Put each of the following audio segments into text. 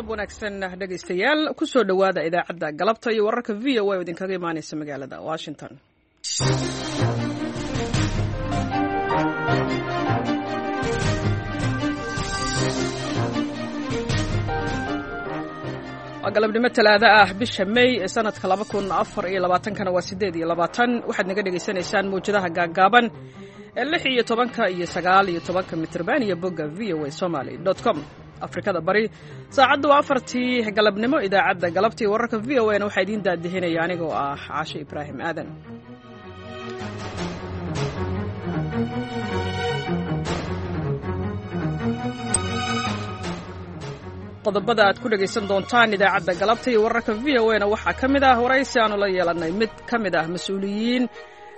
Wanaagsan dhegaystayaal, kusoo dhowaada idaacadda galabta iyo wararka VOA oo idinkaga imaanaysa magaalada Washington. Waa galabnimo Talaado ah, bisha May ee sanadka 2024-kana waa 28. Waxaad naga dhegaysanaysaan mawjadaha gaaggaaban ee 16 iyo 19 mitrban iyo bogga VOA Somali com. Afrikada Bari saacaddu waa 4-tii galabnimo. Idaacadda galabtii wararka VOA na waxaa idiin daadihinaya anigoo ah Caashe Ibraahim Aadan. Qodobada aad ku dhegaysan doontaan idaacadda galabta iyo wararka VOA na waxaa ka mid ah waraysi aanu la yeelannay mid ka mid ah mas-uuliyiin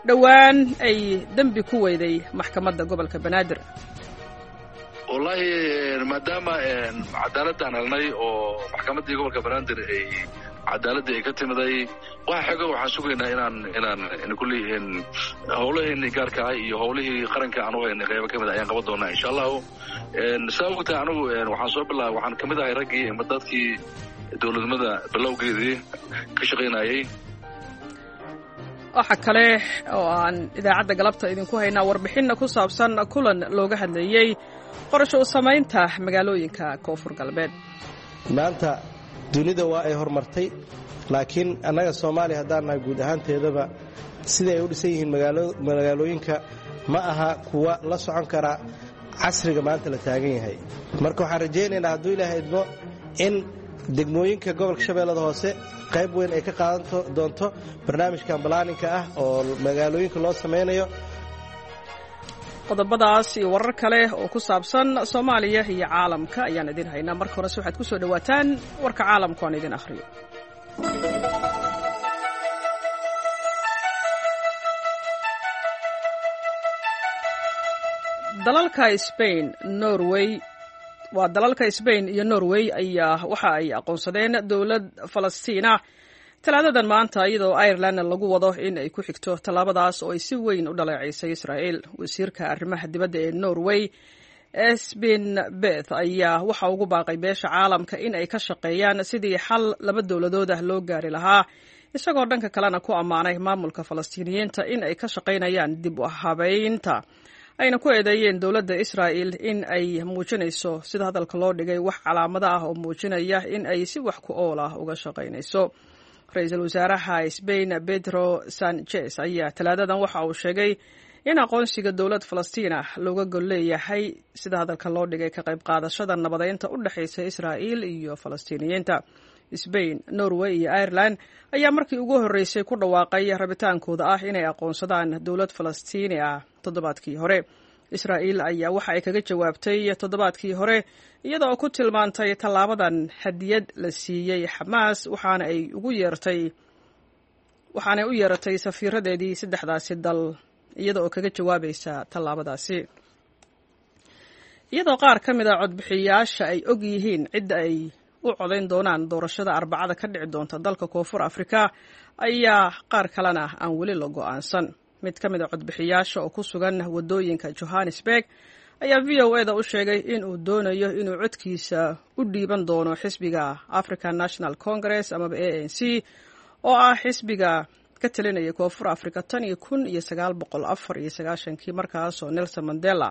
dhowaan ay dembi ku weyday maxkamadda gobolka Banaadir. Wallaahi, maadaama cadaaladaan helnay oo maxkamaddii gobolka Banaadir ay cadaaladdii ay ka timiday, waxa xoga waxaan sugaynaa inaan kulli howlaheenii gaarka ah iyo howlihii qaranka aan u haynay qaybo ka mid ayaan qaban doonaa, insha Allahu. Saa ogtahay, anigu waxaan soo bilaabay, waxaan ka mid ahay raggii ama dadkii dowladnimada bilowgeedii ka shaqaynayay. Waxa kale oo aan idaacadda galabta idinku haynaa warbixinna ku saabsan kulan looga hadlayey qorasho u samaynta magaalooyinka Koonfur Galbeed. Maanta dunida waa ay horumartay, laakiin annaga Soomaaliya haddaan nahay, guud ahaanteedaba sida ay u dhisan yihiin magaalooyinka ma aha kuwa la socon kara casriga maanta la taagan yahay. Marka waxaan rajaynaynaa, hadduu Ilaahay idmo, in degmooyinka gobolka Shabeellada Hoose qayb weyn ay ka qaadan doonto barnaamijkan balaaninka ah oo magaalooyinka loo samaynayo. Qodobadaas iyo warar kale oo ku saabsan Soomaaliya iyo caalamka ayaan idin haynaa. Marka horese waxaad ku soo dhowaataan warka caalamka oan idin akhriyo. Dalalka Spain, Norway, waa dalalka Sbain iyo Norway ayaa waxa ay aqoonsadeen dowlad Falastiina Talaadadan maanta, iyadoo Irelandna lagu wado in ay ku xigto tallaabadaas oo ay si weyn u dhaleeceysay Israa'el. Wasiirka arrimaha dibadda ee Norway, Espen Beth, ayaa waxa ugu baaqay beesha caalamka in ay ka shaqeeyaan sidii xal laba dowladood ah loo gaari lahaa, isagoo dhanka kalena ku ammaanay maamulka Falastiiniyiinta in ay ka shaqaynayaan dib u habeynta, ayna ku eedeeyeen dowladda Israa'el in ay muujinayso, sida hadalka loo dhigay, wax calaamado ah oo muujinaya in ay si wax ku ool ah uga shaqaynayso. Ra-iisul wasaaraha Sbain, Pedro Sanchez, ayaa Talaadadan waxa uu sheegay in aqoonsiga dowlad Falastiin ah looga gol leeyahay, sida hadalka loo dhigay, ka qayb qaadashada nabadeynta u dhexaysa Israa'il iyo Falastiiniyiinta. Sbain, Norway iyo Ireland ayaa markii ugu horreysay ku dhawaaqay rabitaankooda ah inay aqoonsadaan dowlad Falastiini ah toddobaadkii hore. Israa'iil ayaa waxa ay kaga jawaabtay toddobaadkii hore, iyada oo ku tilmaantay tallaabadan hadiyad la siiyey Xamaas, waxaana ay ugu yeertay waxaanay u yeeratay safiiradeedii saddexdaasi dal iyada oo kaga jawaabaysa tallaabadaasi. Iyadoo qaar ka mid a codbixiyaasha ay og yihiin cidda ay u codayn doonaan doorashada Arbacada ka dhici doonta dalka Koonfur Afrika, ayaa qaar kalena aan weli la go'aansan. Mid ka mid a codbixiyaasha oo ku sugan waddooyinka Johannesburg ayaa VOA da u sheegay in uu doonayo inuu codkiisa u dhiiban doono xisbiga African National Congress amaba ANC, oo ah xisbiga ka talinaya Koonfur Africa tan iyo 1994-kii, markaasoo Nelson Mandela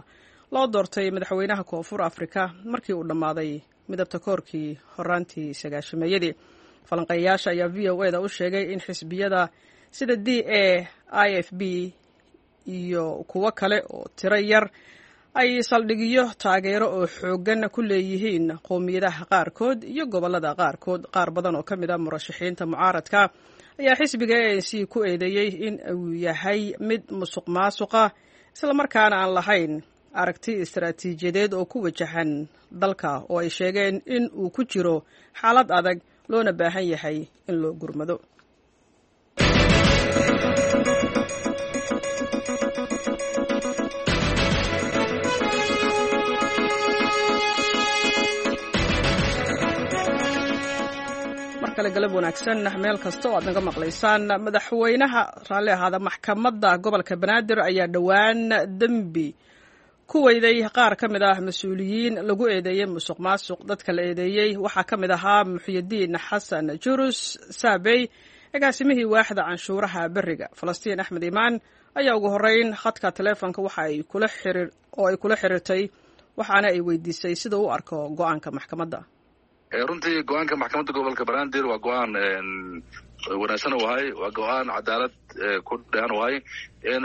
loo doortay madaxweynaha Koonfur Africa markii uu dhammaaday midabta koorkii horaantii sagaashameeyadii. Falanqeeyayaasha ayaa VOA da u sheegay in xisbiyada sida DA, IFP iyo kuwo kale oo tiro yar ay saldhigyo taageero oo xooggan ku leeyihiin qowmiyadaha qaarkood iyo gobollada qaarkood. Qaar badan oo ka mid a murashaxiinta mucaaradka ayaa xisbiga ANC ku eedeeyey in uu yahay mid musuq maasuqa, islamarkaana aan lahayn aragti istaraatiijiyadeed oo ku wajahan dalka, oo ay sheegeen in uu ku jiro xaalad adag loona baahan yahay in loo gurmado. Markale galab wanaagsan meel kasta oo aad naga maqlaysaan. Madaxweynaha, raalli ahaada, maxkamadda gobolka Banaadir ayaa dhowaan dembi Ku weyday qaar ka mid ah mas-uuliyiin lagu eedeeyey musuq maasuq. Dadka la eedeeyey waxaa ka mid ahaa Muxyidiin Xasan Jurus Saabey, agaasimihii waaxda canshuuraha beriga. Falastiin Axmed Imaan ayaa ugu horeyn khadka taleefonka waxa ay kula xiriir oo ay kula xiriirtay, waxaana ay weydiisay sida u arko go-aanka maxkamadda. Runtii go-aanka maxkamadda gobolka Banaadir waa go-aan wanaagsan u ahay, waa go-aan cadaalad ku dhehan u ahay.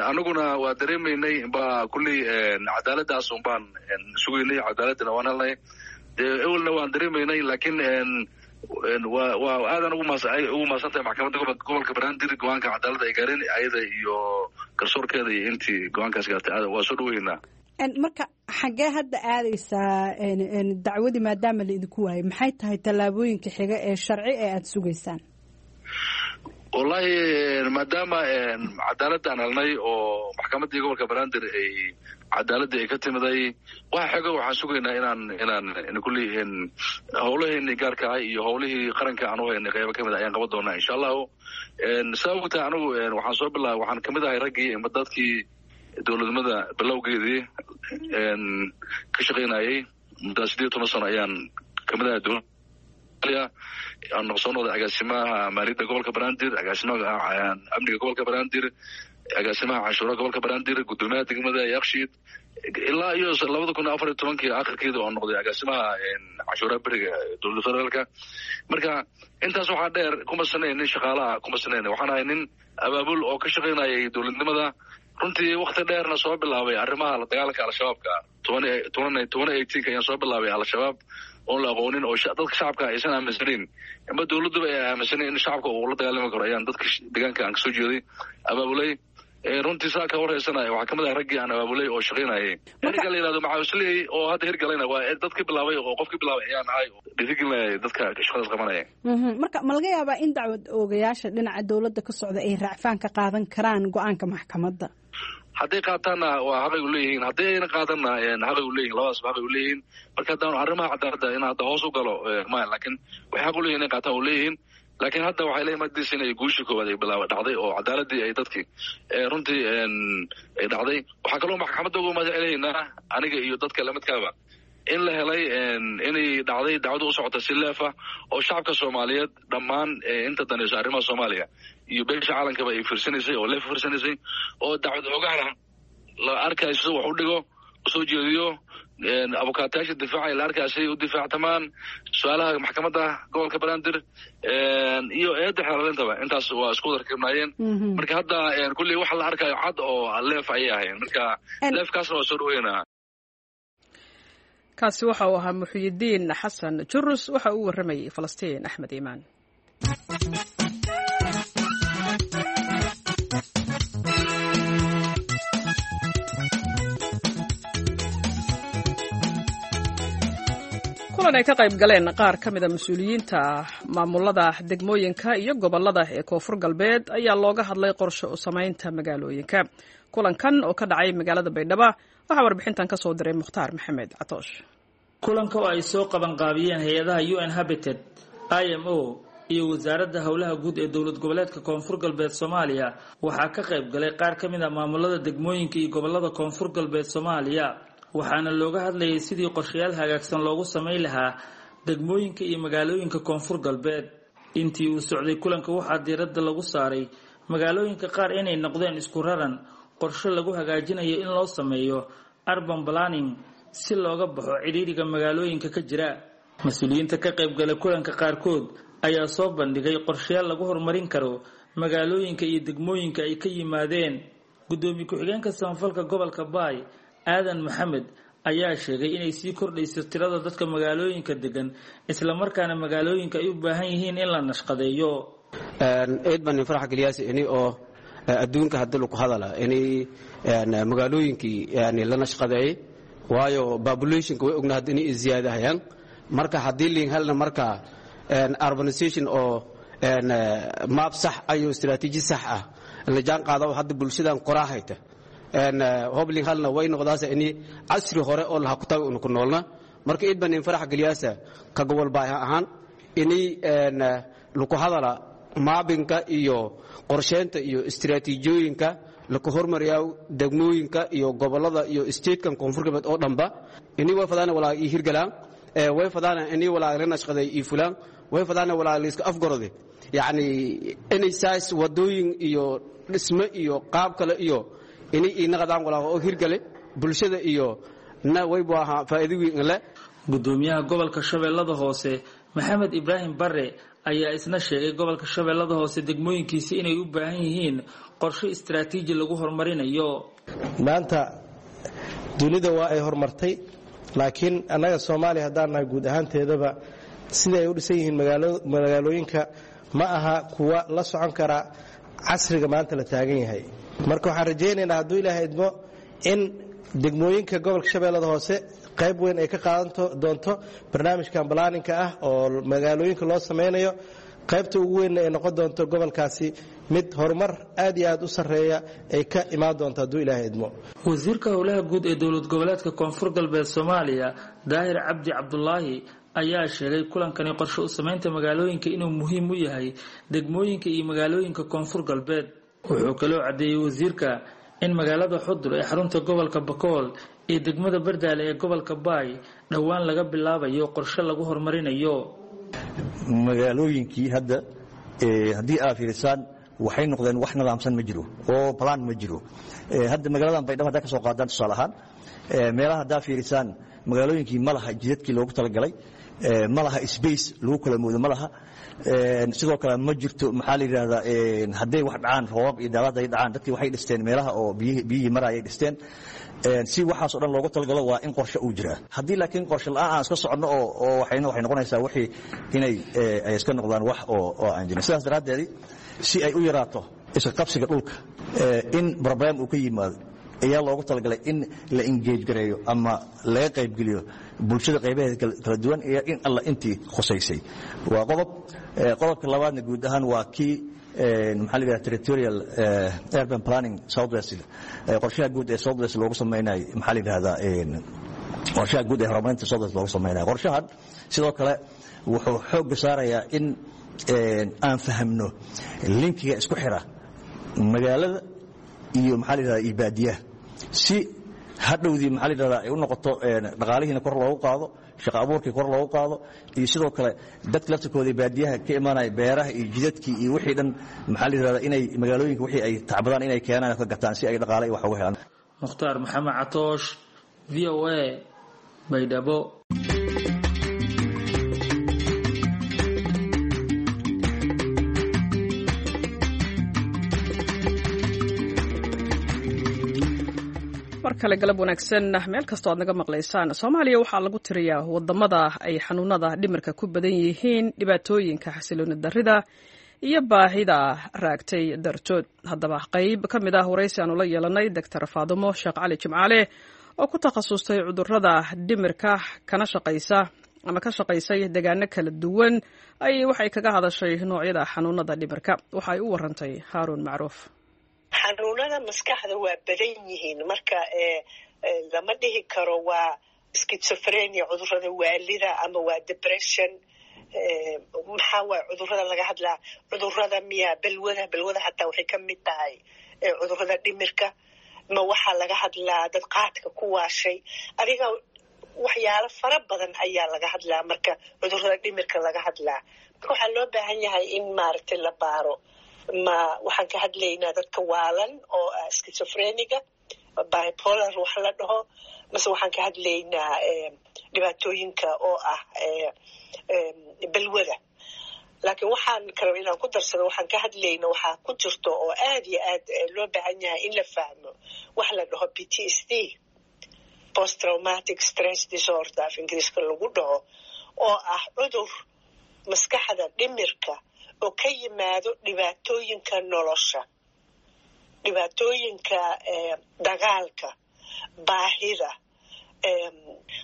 Anaguna waa dareemaynay ba kulley cadaaladdaas un baan sugaynay, cadaaladina waan helnay. Dee ewelna waan dareemaynay, laakiin waa aadan ugu mahadsantahay maxkamadda gobolka Banaadir go-aanka cadaaladda ay gaareen, ayada iyo garsoorkeeda iyo intii go-aankaas gaartay waa soo dhaweynaa. Marka xaggee hadda aadaysaa dacwadii maadaama la idinku waayay? Maxay tahay tallaabooyinka xiga ee sharci ee aada sugaysaan? Wallahi, maadaama cadaaladaan helnay oo maxkamaddii gobolka Banaadir ay cadaaladii ay ka timiday, waxa xigo waxaan sugaynaa inaan kulley howlaheenii gaarka ah iyo howlihii qaranka aan u haynay qaybo kamid ah ayaan qaban doonaa, insha Allahu. Saa ogtahay, anigu waxaan soo bilaabay, waxaan kamid ahay raggii ima dadkii dowladnimada bilowgeedii ka shaqaynayay. Muddaa 18 sano ayaan kamid ahay dowladda. Aan soo noqday agaasimaha maaliyadda gobolka Banaadir, agaasimaha amniga gobolka Banaadir, agaasimaha canshuuraha gobolka Banaadir, guddoomiyaha degmada Yakshiid, ilaa iyo 2014-kii akhirkeeda oo noqday agaasimaha canshuuraha beriga dowladda federaalka. Marka intaas waxaa dheer, kuma sanayn nin shaqaalaha, kuma sanayn, waxaan ahay nin abaabul oo ka shaqaynayay dowladnimada. Runtii wakti dheerna soo bilaabay arrimaha la dagaalanka Al-Shabaabka. 2018-ka ayaan soo bilaabay Al-Shabaab oon la aqoonin oo dadka shacabka aysan aaminsanayn ama dowladduba ay aaminsanayn in shacabka uu la dagaalami karo ayaan dadka deegaanka aan kasoo jeeday abaabulay. Runtii saa ka warhaysanaya, waxaa kamid ah raggii aan abaabulay oo shaqaynayay. Ninka la yihahdo Macawisley oo hadda hirgalayna waa dadkii bilaabay oo qofkii bilaabay ayaan ahay, dhiirigelinaya dadka shaqadaas qabanaya. Marka ma laga yaabaa in dacwad oogayaasha dhinaca dowladda ka socda ay raacfaan ka qaadan karaan go-aanka maxkamadda? Hadday qaataanna waa xaqay u leeyihiin, haddii ayna qaadanna xaqay u leeyihin, labadaasba xaqay u leeyihiin. Marka haddaan arrimaha cadaaladda in hadda hoos u galo maya, laakiin waxay xaq u leeyihin inay qaataan u leeyihiin. Laakiin hadda waxay leeyihin madiis inay guushii koowaad ay bilaaba dhacday oo cadaaladii ay dadkii runtii ay dhacday. Waxaa kaloo maxkamadda ugu mahad celaynaa aniga iyo dadka lamidkaaba in la helay inay dhacday dacwada u socota si leefa oo shacabka Soomaaliyeed dhammaan inta danayso arrimaha Soomaaliya iyo beesha caalamkaba ay fiirsanaysay oo leef fiirsanaysay oo dacwad ogaana la arkayo sida wax u dhigo, usoo jeediyo abukaatayaasha difaacay, la arkaya siday u difaactamaan su-aalaha maxkamadda gobolka Banaadir iyo eedda xeelaalintaba. Intaas waa isku darkibnaayeen. Marka hadda kulley waxa la arkayo cad oo leef ayay ahayn, marka leefkaasna waa soo dhaweynaa. Kaasi waxa uu ahaa Muxyidiin Xasan Jurus, waxa uu warramayey Falastiin Axmed Iimaan. Kulan ay ka qayb galeen qaar ka mida mas-uuliyiinta maamulada degmooyinka iyo gobolada ee Koonfur Galbeed ayaa looga hadlay qorshe u samaynta magaalooyinka. Kulankan oo ka dhacay magaalada Baydhaba waxaa warbixintan ka soo diray Mukhtaar Maxamed Catoosh. Kulanka oo ay soo qabanqaabiyeen hay-adaha UN Habitat, IMO iyo Wasaaradda Howlaha Guud ee Dowlad Goboleedka Koonfur Galbeed Soomaaliya waxaa ka qayb galay qaar ka mid a maamulada degmooyinka iyo gobolada Koonfur Galbeed Soomaaliya, waxaana looga hadlayay sidii qorshayaal hagaagsan loogu samayn lahaa degmooyinka iyo magaalooyinka Koonfur Galbeed. Intii uu socday kulanka waxaa diiradda lagu saaray magaalooyinka qaar inay noqdeen isku raran, qorshe lagu hagaajinayo in loo sameeyo urban planning si looga baxo cidhiidhiga magaalooyinka ka jira. Mas-uuliyiinta ka qaybgalay kulanka qaarkood ayaa soo bandhigay qorshayaal lagu horumarin karo magaalooyinka iyo degmooyinka ay ka yimaadeen. Gudoomiye ku-xigeenka samafalka gobolka Baay, Aadan Maxamed, ayaa sheegay inay sii kordhayso tirada dadka magaalooyinka degan, islamarkaana magaalooyinka ay u baahan yihiin in la nashqadeeyo. Eed baan nin farax geliyaas ini oo adduunka hadda lagu hadala inay magaalooyinkii yani la nashqadeeyey, waayo populationka way ogna hadda inay ziyaadahayaan. Marka haddii liin helna marka urbanization oo maab sax ayo istiraatiiji sax ah la jaan qaado hadda bulshadan qoraahayta hoblin halna way noqdaasa ini casri hore oo laha ku tago unu ku noolna. Marka id baan in farax geliyaasa ka gobol baahi ahaan ini lagu hadala maabinka iyo qorsheynta iyo istiraatiijiyooyinka laka hormariyaa degmooyinka iyo gobolada iyo statekan koonfur galbeed oo dhanba ini way fadaana walaa ii hirgalaan, way fadaana ini walaa la nashqaday ii fulaan, way fadaana walaa layska afgarode, yacni inay saas wadooyin iyo dhisme iyo qaab kale iyo inay iinaqadaan walaa oo hirgale bulshada iyo na waybu ahaa faa'iido weyn le. Gudoomiyaha gobolka Shabeellada Hoose Maxamed Ibraahim Bare ayaa isna sheegay gobolka Shabeellada Hoose degmooyinkiisa inay u baahan yihiin qorshe istaraatiiji lagu horumarinayo. Maanta dunida waa ay horumartay, laakiin annaga Soomaaliya haddaan nahay guud ahaanteedaba sida ay u dhisan yihiin magaalooyinka ma aha kuwa la socon kara casriga maanta la taagan yahay. Marka waxaan rajaynaynaa hadduu Ilaahay idmo in degmooyinka gobolka Shabeellada Hoose qayb weyn ay ka qaadan doonto barnaamijkan balaaninka ah oo magaalooyinka loo samaynayo, qaybta ugu weynna ay noqon doonto gobolkaasi mid horumar aad iyo aad u sarreeya ay ka imaan doonto hadduu Ilaahay idmo. Wasiirka howlaha guud ee dowlad goboleedka Koonfur Galbeed Soomaaliya Daahir Cabdi Cabdulaahi ayaa sheegay kulankani qorshe u samaynta magaalooyinka inuu muhiim u yahay degmooyinka iyo magaalooyinka Koonfur Galbeed. Wuxuu kaloo caddeeyey wasiirka in magaalada Xudur ee xarunta gobolka Bakool iyo degmada Bardaale ee gobolka Baay dhowaan laga bilaabayo qorshe lagu horumarinayo. Magaalooyinkii hadda haddii aad fiirisaan waxay noqdeen wax nidaamsan ma jiro oo plan ma jiro. Hadda magaaladan Baydhabo haddaa ka soo qaadaan tusaale ahaan, meelaha haddaa fiirisaan magaalooyinkii ma laha jidadkii loogu talagalay, ma laha space lagu kala moodo ma laha. Sidoo kale ma jirto, maxaa la yidhaahdaa, hadday wax dhacaan, roobab iyo daalaad ay dhacaan, dadkii waxay dhisteen meelaha oo biyihii marayay dhisteen. Si waxaas oo dhan loogu talagalo waa in qorshe uu jiraa. Haddii laakiin qorshe la'aan aan iska soconno oo waxayna waxay noqonaysaa wixii inay ay iska noqdaan wax oo aan jirin. Sidaas daraaddeed si ay u yaraato iska qabsiga dhulka in problem uu ka yimaado ayaa loogu talagalay in la engage gareeyo ama laga qaybgeliyo bulshada qaybaheeda kala duwan iyo in alla intii khusaysay. Waa qodob. Qodobka labaadna guud ahaan waa kii, maxaa la yidhaha, territorial urban planning southwest, qorshaha guud ee southwest loogu samaynayo, maxaa la yidhahdaa, qorshaha guud ee horumarinta southwest loogu samaynayo. Qorshahan sidoo kale wuxuu xoogga saarayaa in aan fahamno linkiga isku xira magaalada iyo, maxaa la yidhahdaa, iyo baadiyaha, si hadhowdii, maxaa la yidhahdaa, ay u noqoto dhaqaalihiina kor loogu qaado, shaqo abuurkii kor loogu qaado, iyo sidoo kale dadka laftirkooda baadiyaha ka imaanaya beeraha iyo jidadkii iyo wixii dhan, maxaa la yidhahdaa, inay magaalooyinka wixii ay tacbadaan inay keenaan oo ka gataan si ay dhaqaale iyo wax uga helaan. Mukhtaar Maxamed Catoosh, VOA, Baydhabo. Mar kale galab wanaagsan meel kastoo aad naga maqlaysaan. Soomaaliya waxaa lagu tiriyaa wadamada ay xanuunada dhimirka ku badan yihiin dhibaatooyinka xasilooni darrida iyo baahida raagtay dartood. Haddaba qayb ka mid ah waraysi aanu la yeelanay Doctor Faadumo Sheekh Cali Jimcaale oo ku takhasustay cudurrada dhimirka kana shaqaysa ama ka shaqaysay deegaano kala duwan ayay waxay kaga hadashay noocyada xanuunada dhimirka. Waxa ay u warantay Haaruun Macruuf. Xanuunada maskaxda waa badan yihiin, marka lama dhihi karo waa schizophrenia, cudurada waalida, ama waa depression. Maxaa waay cudurada laga hadlaa? Cudurada miya balwada? Balwada hataa waxay ka mid tahay cudurada dhimirka. Ma waxaa laga hadlaa dad qaadka ku waashay? Adiga waxyaalo fara badan ayaa laga hadlaa marka cudurada dhimirka laga hadlaa. Marka waxaa loo baahan yahay in maaragtay la baaro ma waxaan ka hadlaynaa dadka waalan oo schizophreniga, bipolar wax la dhaho, mase waxaan ka hadlaynaa dhibaatooyinka oo ah balwada. Laakiin waxaan kale inaan ku darsado, waxaan ka hadlayna waxaa ku jirto oo aad iyo aad loo baahan yahay in la fahmo wax la dhaho PTSD, post traumatic stress disorder af Ingiriiska lagu dhaho, oo ah cudur maskaxda dhimirka oo ka yimaado dhibaatooyinka nolosha, dhibaatooyinka dagaalka, baahida.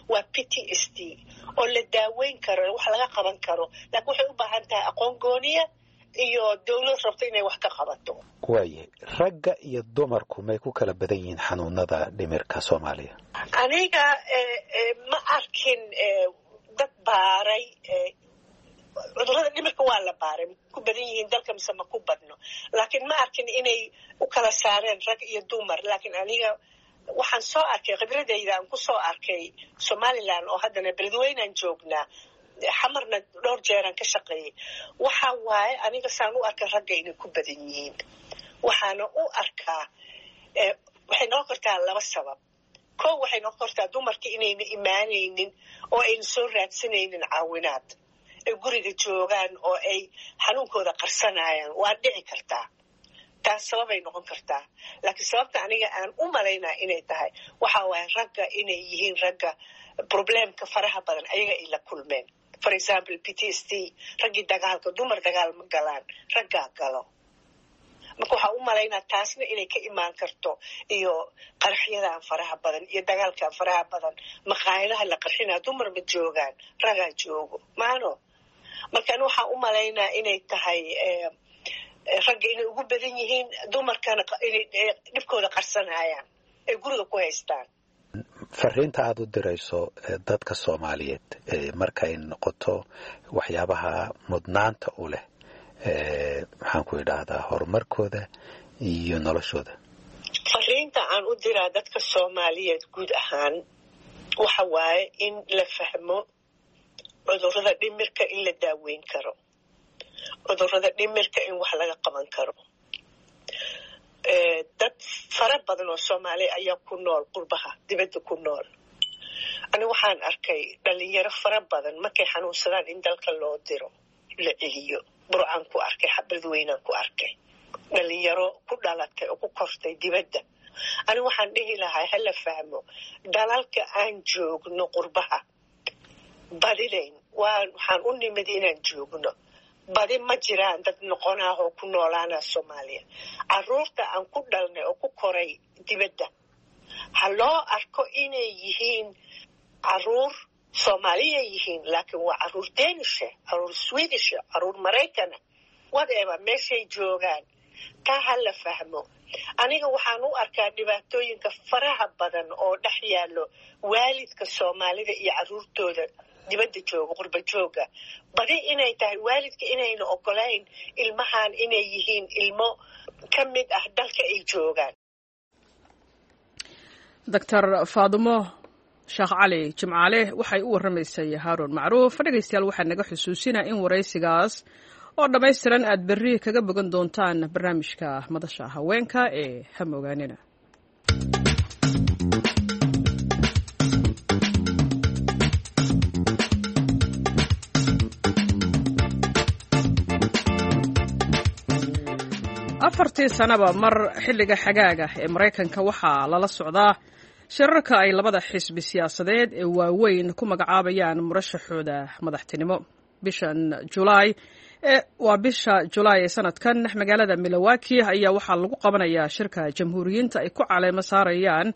Waa PTSD oo la daaweyn karo, wax laga qaban karo, laakiin waxay u baahan tahay aqoon gooniya iyo dawlad rabto inay wax ka qabato. Waayahay, ragga iyo dumarku may ku kala badan yihiin xanuunada dhimirka Soomaaliya? Aniga ma arkin dad baaray. Cudurrada dhimirka waa la baaray, ma ku badan yihiin dalka mise ma ku badno, laakiin ma arkin inay u kala saareen rag iyo dumar. Laakiin aniga waxaan soo arkay, khibradayda aan ku soo arkay Somaliland oo haddana Beledweynaan joognaa, Xamarna dhowr jeeraan ka shaqeeyay, waxa waaye aniga saan u arkay ragga inay ku badan yihiin. Waxaana u arkaa waxay noqon kartaa laba sabab. Kow, waxay noqon kartaa dumarka inayna imaanaynin oo ayna soo raadsanaynin caawinaad, ay guriga joogaan oo ay xanuunkooda qarsanayaan. Waa dhici kartaa, taas sababay noqon kartaa. Laakiin sababta aniga aan u malaynaa inay tahay waxa waaye ragga inay yihiin ragga problemka faraha badan ayaga ay la kulmeen, for example PTSD, raggii dagaalka. Dumar dagaal ma galaan, raggaa galo. Marka waxaa u malaynaa taasna inay ka imaan karto, iyo qaraxyadan faraha badan iyo dagaalkan faraha badan, maqaayadaha la qarxinaa, dumar ma joogaan, ragaa joogo maano. Marka ani waxaa u malaynaa inay tahay ragga inay ugu badan yihiin, dumarkana inay dhibkooda qarsanayaan, ay guriga ku haystaan. Fariinta aada u dirayso dadka Soomaaliyeed markay noqoto waxyaabaha mudnaanta u leh, maxaan ku idhaahdaa, horumarkooda iyo noloshooda? Fariinta aan u diraa dadka Soomaaliyeed guud ahaan waxa waaye in la fahmo cudurrada dhimirka in la daaweyn karo, cudurrada dhimirka in wax laga qaban karo. Dad fara badan oo Soomaaliya ayaa ku nool qurbaha, dibadda ku nool. Ani waxaan arkay dhalinyaro fara badan markay xanuunsadaan in dalka loo diro, la celiyo. Burcaan ku arkay, Beledweynaan ku arkay dhalinyaro ku dhalatay oo ku kortay dibadda. Ani waxaan dhihi lahaa hala fahmo dalalka aan joogno, qurbaha badidayn waxaan u nimid inaan joogno, badi ma jiraan dad noqonaah oo ku noolaana Soomaaliya. Caruurta aan ku dhalnay oo ku koray dibadda ha loo arko inay yihiin caruur Soomaaliya yihiin, laakiin waa caruur Danisha, caruur Swedisha, caruur Maraykana, whatever meeshay joogaan, taa ha la fahmo. Aniga waxaan u arkaa dhibaatooyinka faraha badan oo dhex yaallo waalidka Soomaalida iyo caruurtooda dibadda jooga, qurba jooga, badi inay tahay waalidka inayna ogolayn ilmahan inay yihiin ilmo ka mid ah dalka ay joogaan. Doctor Faadumo Sheekh Cali Jimcaale waxay u warramaysay Haaruun Macruuf. Dhegaystayaal, waxaa naga xusuusinaa in waraysigaas oo dhammaystiran aad berri kaga bogan doontaan barnaamijka Madasha Haweenka ee Hamogaanina. Afartii sanaba mar xilliga xagaaga ee Maraykanka waxaa lala socdaa shirarka ay labada xisbi siyaasadeed ee waaweyn ku magacaabayaan murashaxooda madaxtinimo. Bishan Julaay, waa bisha Julaay ee sanadkan, magaalada Milwaukee ayaa waxaa lagu qabanayaa shirka Jamhuuriyiinta ay ku caleemo saarayaan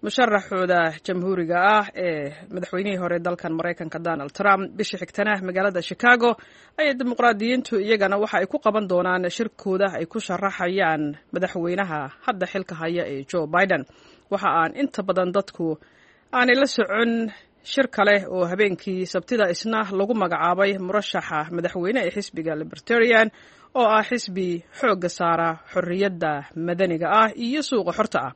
musharaxooda Jamhuuriga ah ee madaxweynihii hore dalkan Maraykanka, Donald Trump. Bisha xigtana magaalada Chicago ayay Dimuqraadiyiintu iyagana waxa ay ku qaban doonaan shirkooda ay ku sharaxayaan madaxweynaha hadda xilka haya ee Joe Biden. Waxa aan inta badan dadku aanay la socon shir kale oo habeenkii Sabtida isna lagu magacaabay murashaxa madaxweyne ee xisbiga Libertarian, oo ah xisbi xoogga saara xorriyadda madaniga ah iyo suuqa xorta ah.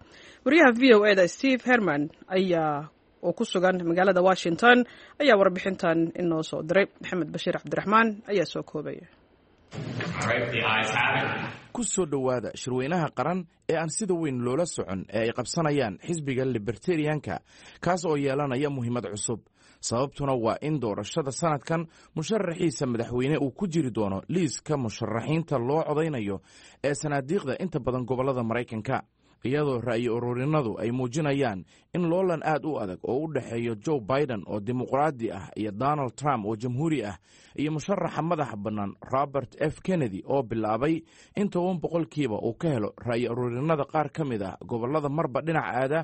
Wariyaha VOA da Steve Herman ayaa oo ku sugan magaalada Washington ayaa warbixintan inoo soo diray. Maxamed Bashiir Cabdiraxmaan ayaa soo koobaya. Ku soo dhowaada shirweynaha qaran ee aan sida weyn loola socon ee ay qabsanayaan xisbiga Libertarianka, kaas oo yeelanaya muhiimad cusub. Sababtuna waa in doorashada sanadkan musharaxiisa madaxweyne uu ku jiri doono liiska musharaxiinta loo codaynayo ee sanaadiiqda inta badan gobollada Maraykanka, iyadoo ra'yi ururinadu ay muujinayaan in loolan aad u adag oo u dhexeeyo Joe Biden oo Dimuqraadi ah iyo Donald Trump oo Jamhuuri ah iyo musharaxa madaxa bannaan Robert F Kennedy oo bilaabay in 10% uu ka helo ra'yi ururinada qaar ka mid ah gobollada marba dhinac aada.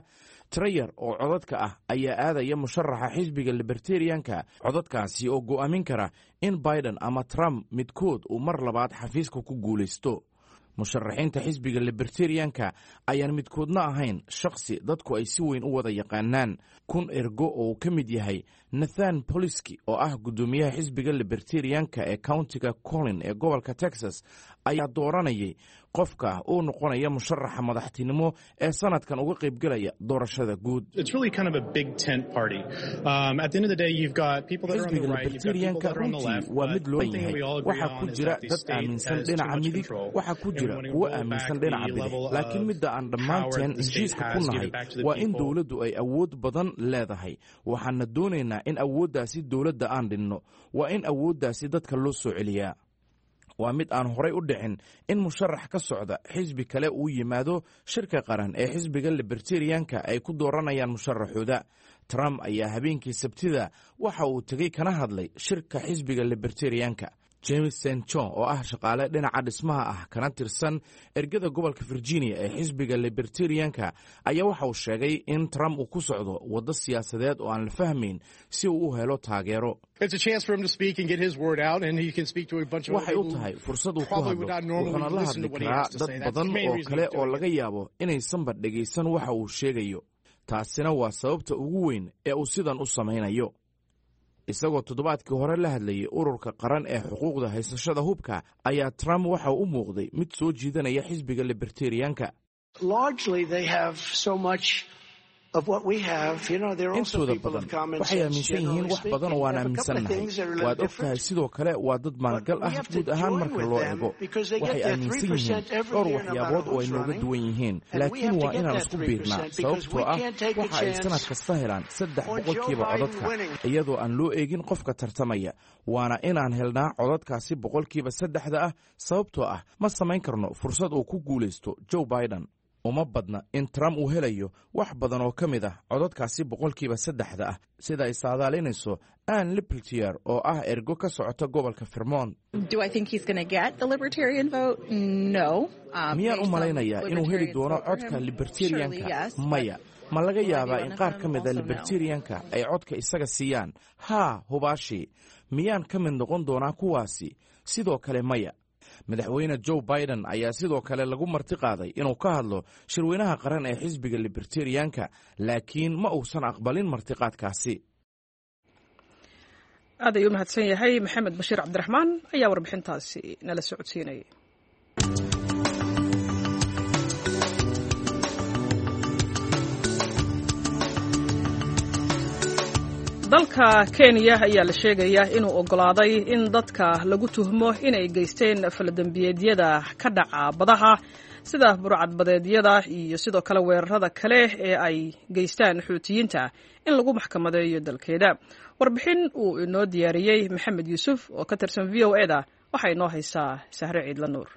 Trayar oo codadka ah ayaa aadaya musharaxa xisbiga Libertarianka, codadkaasi oo go'aamin kara in Biden ama Trump midkood uu mar labaad xafiiska ku guulaysto. Musharaxiinta xisbiga Libertarianka ayaan midkoodna ahayn shakhsi dadku ay si weyn u wada yaqaanaan. 1000 ergo oo uu ka mid yahay Nathan Poliski, oo ah guddoomiyaha xisbiga Libertarianka ee countiga Collin ee gobolka Texas, ayaa dooranayay qofka uu noqonaya musharaxa madaxtinimo ee sanadkan uga qaybgelaya doorashada guud. Xisbiga Libertarianka runtii waa mid loo yahay. Waxaa ku jira dad aaminsan dhinaca midig, waxaa ku jira kuwo aaminsan dhinaca bidix, laakiin midda aan dhammaanteen heshiiska ku nahay waa in dowladdu ay awood badan leedahay. Waxaana doonaynaa in awooddaasi dowladda aan dhinno. Waa in awooddaasi dadka loo soo celiyaa. Waa mid aan horay u dhicin in musharax ka socda xisbi kale uu yimaado shirka qaran ee xisbiga Libertarianka ay ku dooranayaan musharaxooda. Trump ayaa habeenkii Sabtida waxa uu tegey kana hadlay shirka xisbiga Libertarianka. James St John, oo ah shaqaale dhinaca dhismaha ah kana tirsan ergada gobolka Virginia ee xisbiga Libertarianka, ayaa waxa uu sheegay in Trump uu ku socdo waddo siyaasadeed oo aan la fahmayn si uu u helo taageero. Waxay u tahay fursad uu ku hadlo, wuxuuna la hadli karaa dad badan oo kale oo laga yaabo inaysanba dhegaysan waxa uu sheegayo. Taasina waa sababta ugu weyn ee uu sidan u samaynayo. Isagoo toddobaadkii hore la hadlayay ururka qaran ee xuquuqda haysashada hubka, ayaa Trump waxa u muuqday mid soo jiidanaya xisbiga Libertarianka. Intooda badan waxay aaminsan yihiin wax badan oo aan aaminsannahay. Waad og tahay, sidoo kale waa dad maalgal ah guud ahaan marka loo eego. Waxay aaminsan yihiin dhowr waxyaabood oo ay nooga duwan yihiin, laakiin waa inaan isku biirnaa, sababtoo ah waxa ay sanad kasta helaan 3% codadka iyadoo aan loo eegin qofka tartamaya. Waana inaan helnaa codadkaasi 3%-da ah, sababtoo ah ma samayn karno fursad uu ku guulaysto Joe Biden. Uma badna in Trump uu helayo wax badan oo ka mid ah codadkaasi 3%-da ah, sida ay saadaalinayso Ann Lipltier, oo ah ergo ka socota gobolka Vermont. Miyaan u malaynayaa inuu heli doono codka Libertarianka? Maya. Ma laga yaabaa in qaar ka mida Libertarianka ay codka isaga siiyaan? Haa, hubaashii. Miyaan ka mid noqon doonaa kuwaasi? Sidoo kale maya. Madaxweyne Joe Biden ayaa sidoo kale lagu marti qaaday inuu ka hadlo shirweynaha qaran ee xisbiga Libertarianka, laakiin ma uusan aqbalin martiqaadkaasi. Aad ayuu umahadsan yahay Maxamed Bashiir Cabdiraxmaan ayaa warbixintaasi nala socodsiinayay. Dalka Kenya ayaa la sheegayaa inuu oggolaaday in dadka lagu tuhmo inay geysteen faladembiyeedyada ka dhaca badaha, sida burcadbadeedyada iyo sidoo kale weerarada kale ee ay geystaan Xuutiyiinta, in lagu maxkamadeeyo dalkeeda. Warbixin uu inoo diyaariyey Maxamed Yuusuf oo ka tirsan v o e da waxaa inoo haysaa Sahre Ciidla Nuur.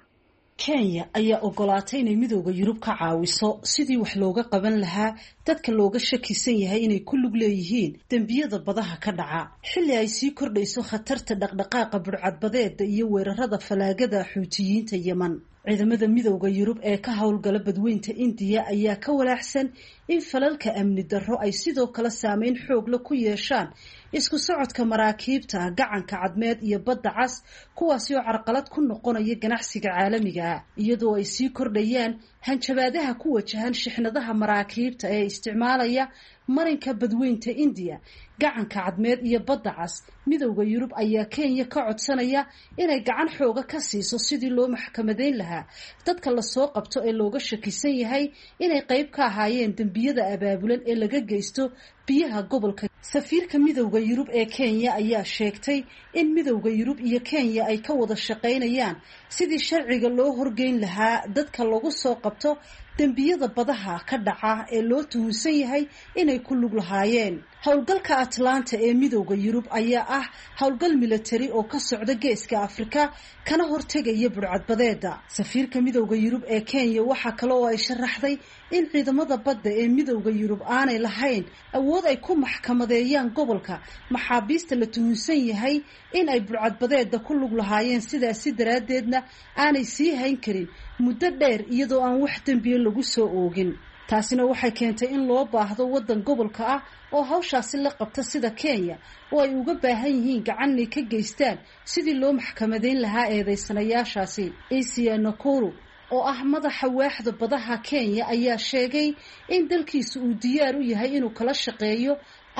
Kenya ayaa ogolaatay inay Midooda Yurub ka caawiso sidii wax looga qaban lahaa dadka looga shakisan yahay inay ku lug leeyihiin dembiyada badaha ka dhaca, xilli ay sii kordhayso khatarta dhaqdhaqaaqa burcadbadeeda iyo weerarada falaagada Xuutiyiinta Yeman. Ciidamada Midooda Yurub ee ka howlgala Badweynta Indiya ayaa ka walaaxsan in falalka amni darro ay sidoo kale saameyn xoogla ku yeeshaan isku socodka maraakiibta gacanka Cadmeed iyo Badda Cas, kuwaasi oo carqalad ku noqonaya ganacsiga caalamiga ah, iyadoo ay sii kordhayaan hanjabaadaha ku wajahan shixnadaha maraakiibta ee isticmaalaya marinka Badweynta Indiya, gacanka Cadmeed iyo Badda Cas. Midowda Yurub ayaa Kenya ka codsanaya inay gacan xooga ka siiso sidii loo maxkamadeyn lahaa dadka lasoo qabto ee looga shakisan yahay inay qayb ka ahaayeen dembiyada abaabulan ee laga geysto biyaha gobolka. Safiirka Midowda Yurub ee Kenya ayaa sheegtay in Midowda Yurub iyo Kenya ay ka wada shaqaynayaan sidii sharciga loo horgeyn lahaa dadka lagu soo qabto dembiyada badaha ka dhaca ee loo tuhunsan yahay inay ku lug lahaayeen. Howlgalka Atlanta ee Midowda Yurub ayaa ah howlgal milatari oo ka socda geeska Afrika kana hortegaya burcadbadeeda. Safiirka Midowda Yurub ee Kenya waxaa kale oo ay sharaxday in ciidamada badda ee Midowda Yurub aanay lahayn awood ay ku maxkamadeeyaan gobolka maxaabiista la tuhunsan yahay in ay burcadbadeeda ku lug lahaayeen, sidaasi daraaddeedna aanay sii hayn karin muddo dheer iyadoo aan wax dembiye lagu soo oogin. Taasina waxay keentay in loo baahdo waddan gobolka ah oo hawshaasi la qabta sida Kenya, oo ay uga baahan yihiin gacanay ka geystaan sidii loo maxkamadeyn lahaa eedeysanayaashaasi. Asia Nakuru oo ah madaxa waaxda badaha Kenya ayaa sheegay in dalkiisu uu diyaar u yahay inuu kala shaqeeyo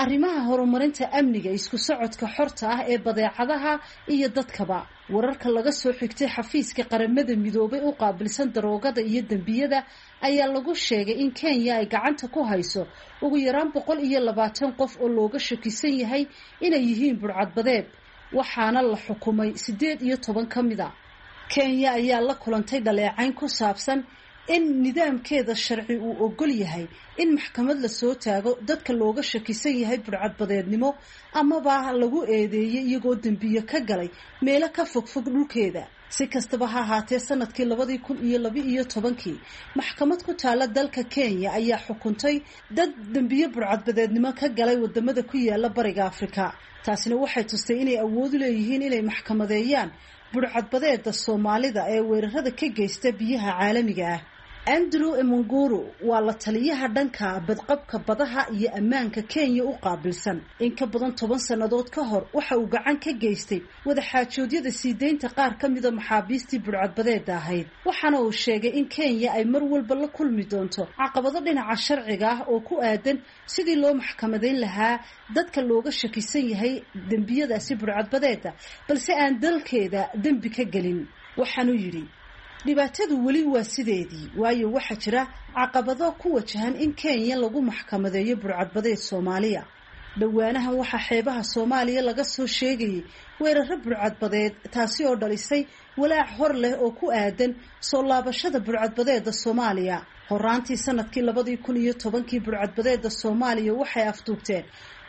arrimaha horumarinta amniga, isku socodka xorta ah ee badeecadaha iyo dadkaba. Wararka laga soo xigtay xafiiska Qaramada Midoobay u qaabilsan daroogada iyo dembiyada ayaa lagu sheegay in Kenya ay gacanta ku hayso ugu yaraan 120 qof oo looga shakisan yahay inay yihiin burcadbadeed, waxaana la xukumay 18 ka mid a. Kenya ayaa la kulantay dhaleecayn ku saabsan in nidaamkeeda sharci uu ogol yahay in maxkamad lasoo taago dadka looga shakisan yahay burcadbadeednimo amaba lagu eedeeyey iyagoo dembiye ka galay meelo ka fogfog dhulkeeda. Si kastaba ha ahaatee, sanadkii 2012-kii maxkamad ku taala dalka Kenya ayaa xukuntay dad dembiye burcadbadeednimo ka galay wadamada ku yaala Bariga Afrika. Taasina waxay tustay inay awood u leeyihiin inay maxkamadeeyaan burcadbadeeda Soomaalida ee weerarada ka geysta biyaha caalamiga ah. Andrew Emunguru waa la taliyaha dhanka badqabka badaha iyo ammaanka Kenya u qaabilsan. In ka badan 10 sannadood ka hor waxa uu gacan ka geystay wadaxaajoodyada sii deynta qaar ka mida maxaabiistii burcadbadeeda ahayd, waxaana uu sheegay in Kenya ay mar walba la kulmi doonto caqabado dhinaca sharciga ah oo ku aadan sidii loo maxkamadayn lahaa dadka looga shakisan yahay dembiyadaasi burcadbadeeda, balse aan dalkeeda dembi ka gelin. Waxaanuu yidhi, dhibaatadu weli waa sideedii, waayo waxaa jira caqabado ku wajahan in Kenya lagu maxkamadeeyo burcadbadeed Soomaaliya. Dhowaanahan waxaa xeebaha Soomaaliya laga soo sheegayay weeraro burcadbadeed, taasi oo dhalisay walaac hor leh oo ku aadan soo laabashada burcadbadeeda Soomaaliya. Horaantii sanadkii 2010-kii burcadbadeeda Soomaaliya waxay afduubteen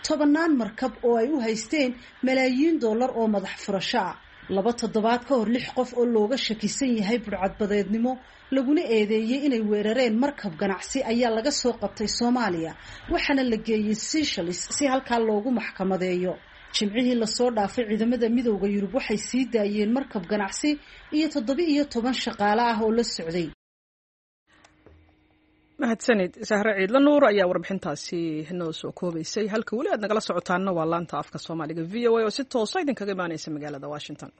tobannaan markab oo ay u haysteen malaayiin dollar oo madax furasho ah. 2 toddobaad ka hor, 6 qof oo looga shakisan yahay burcadbadeednimo laguna eedeeyey inay weerareen markab ganacsi ayaa laga soo qabtay Soomaaliya, waxaana la geeyey Seychelles si halkaa loogu maxkamadeeyo. Jimcihii lasoo dhaafay, ciidamada Midowda Yurub waxay sii daayeen markab ganacsi iyo 17 shaqaale ah oo la socday. Mahadsanid Sahre Ciidla Nuur ayaa warbixintaasi noo soo koobaysay. Halka weli aad nagala socotaanna waa laanta afka Soomaaliga VOA oo si toosa idinkaga imaaneysa magaalada Washington.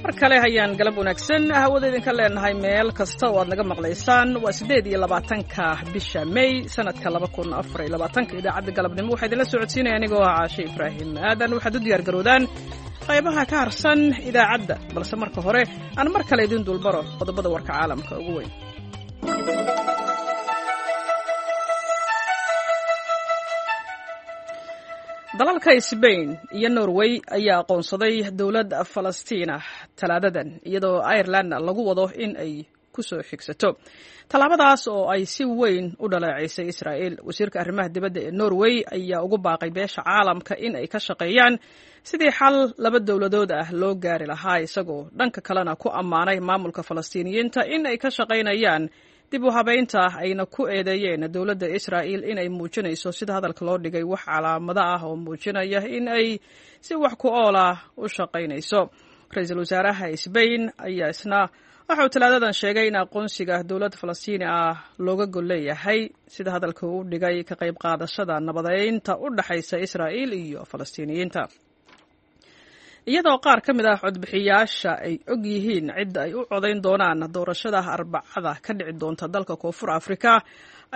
Mar kale hayaan galab wanaagsan hawada idinka leenahay meel kasta oo aad naga maqlaysaan. Waa 28-ka bisha May sanadka 2024-ka. Idaacadda galabnimo waxaa idinla socodsiinaya anigoo ah Caashe Ibraahim Aadan. Waxaad u diyaar garoodaan qaybaha ka harsan idaacadda, balse marka hore aan mar kale idin dulbaro qodobada warka caalamka ugu weyn. Dalalka Sbain iyo Norway ayaa aqoonsaday dowlad Falastiina Talaadadan, iyadoo Ireland lagu wado in ay ku soo xigsato tallaabadaas oo ay si weyn u dhaleeceysay Israa'il. Wasiirka arrimaha dibadda ee Norway ayaa ugu baaqay beesha caalamka in ay ka shaqeeyaan sidii xal laba dowladood ah loo gaari lahaa, isagoo dhanka kalena ku ammaanay maamulka Falastiiniyiinta in ay ka shaqaynayaan dib u habaynta, ayna ku eedeeyeen dowladda Israa'il inay muujinayso, sida hadalka loo dhigay, wax calaamado ah oo muujinaya in ay si wax ku ool ah u shaqaynayso. Ra-iisul wasaaraha Sbain ayaa isna waxa uu Talaadadan sheegay in aqoonsiga dowlad Falastiini ah looga gol leeyahay, sida hadalka uu dhigay, ka qayb qaadashada nabadeynta u dhexaysa Israa'il iyo Falastiiniyiinta. Iyadoo qaar ka mid ah codbixiyaasha ay og yihiin cidda ay u codayn doonaan doorashada Arbacada ka dhici doonta dalka Koonfur Afrika,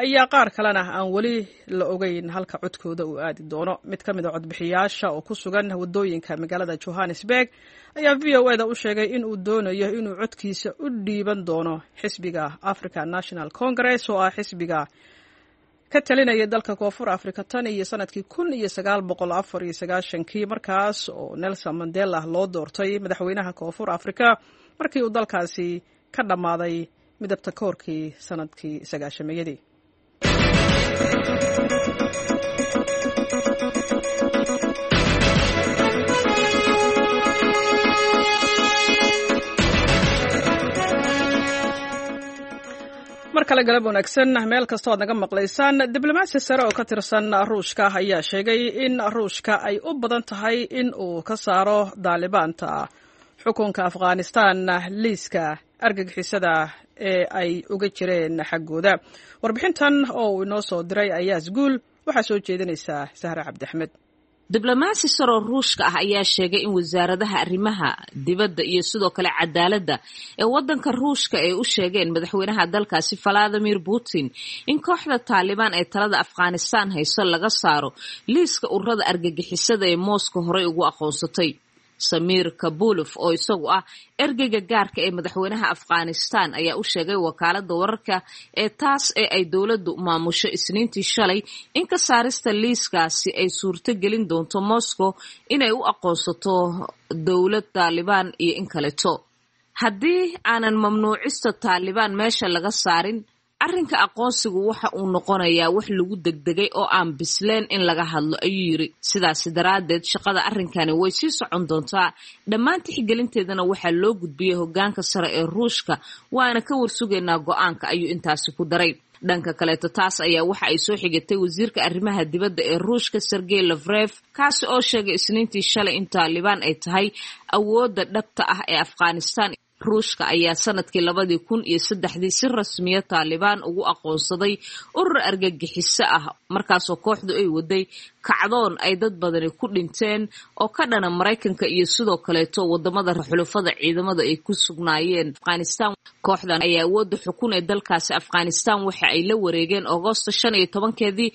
ayaa qaar kalena aan weli la ogeyn halka codkooda uu aadi doono. Mid ka mid a codbixiyaasha oo ku sugan waddooyinka magaalada Johannesburg ayaa VOA da u sheegay in uu doonayo inuu codkiisa u dhiiban doono xisbiga African National Congress, oo ah xisbiga ka talinaya dalka Koonfur Afrika tan iyo sanadkii 1994-kii, markaas oo Nelson Mandela loo doortay madaxweynaha Koonfur Afrika markii uu dalkaasi ka dhammaaday midabta koorkii sanadkii sagaashameeyadii. Mar kale galab wanaagsan meel kastoo aad naga maqlaysaan. Diblomaasi sare oo ka tirsan Ruushka ayaa sheegay in Ruushka ay u badan tahay in uu ka saaro Daalibaanta xukunka Afghanistan liiska argagixisada ee ay uga jireen xaggooda. Warbixintan oo uu inoo soo diray Ayaas Guul waxaa soo jeedinaysaa Sahre Cabdiaxmed. Diblomaasi saroo Ruushka ah ayaa sheegay in wasaaradaha arrimaha dibadda iyo sidoo kale cadaaladda ee waddanka Ruushka ay u sheegeen madaxweynaha dalkaasi Valadimir Putin in kooxda Taalibaan ee talada Afghanistan hayso laga saaro liiska ururada argagixisada ee Moscow horey ugu aqoonsatay. Samiir Kabulof, oo isagu ah ergeyga gaarka ee madaxweynaha Afghanistan, ayaa u sheegay wakaalada wararka ee taas ee ay dowladdu maamusho Isniintii shalay in ka saarista liiskaasi ay suurto gelin doonto Moscow inay u aqoonsato dowlad Taalibaan iyo in kaleto. Haddii aanan mamnuucista Taalibaan meesha laga saarin, arrinka aqoonsigu waxa uu noqonayaa wax lagu degdegay oo aan bisleen in laga hadlo, ayuu yiri. Sidaasi daraaddeed shaqada arrinkani way sii socon doontaa. Dhammaan tixgelinteedana waxaa loo gudbiyey hoggaanka sare ee Ruushka, waana ka warsugaynaa go-aanka, ayuu intaasi ku daray. Dhanka kaleeto, taas ayaa waxa ay soo xigatay wasiirka arrimaha dibadda ee Ruushka Sergey Lavrov, kaasi oo sheegay Isniintii shalay in Taalibaan ay tahay awoodda dhabta ah ee Afghanistan. Ruushka ayaa sanadkii 2003-dii si rasmiya Taalibaan ugu aqoonsaday urur argagixiso ah, markaasoo kooxdu ay waday kacdoon ay dad badani ku dhinteen oo ka dhana Maraykanka iyo sidoo kaleeto wadamada xulufada ciidamada ay ku sugnaayeen Afghanistan. Kooxdan ayaa awoodda xukun ee dalkaasi Afghanistan waxa ay la wareegeen Agoosto 15-keedii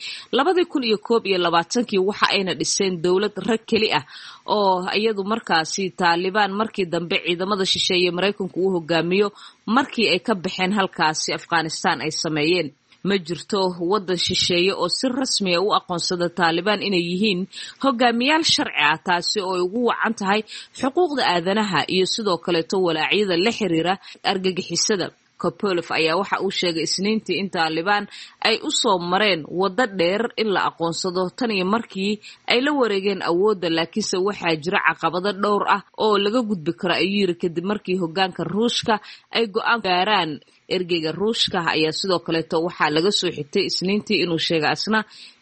2021-kii, waxa ayna dhiseen dowlad rag keli ah oo iyadu markaasi Taalibaan markii dambe ciidamada shisheeye Maraykanku uu hogaamiyo markii ay ka baxeen halkaasi Afghanistan ay sameeyeen. Ma jirto waddan shisheeye oo si rasmiya u aqoonsada Taalibaan inay yihiin hogaamiyaal sharci ah, taasi oo ay ugu wacan tahay xuquuqda aadanaha iyo sidoo kaleeto walaacyada la xiriira argagixisada. Kopolof ayaa waxa uu sheegay Isniintii in Taalibaan ay u soo mareen waddo dheer in la aqoonsado tan iyo markii ay la wareegeen awoodda, laakiinse waxaa jira caqabado dhowr ah oo laga gudbi karo, ayuu yiri, kadib markii hoggaanka Ruushka ay go-aan gaaraan. Ergeyga Ruushka ayaa sidoo kaleeto waxaa laga soo xigtay Isniintii inuu sheegay asna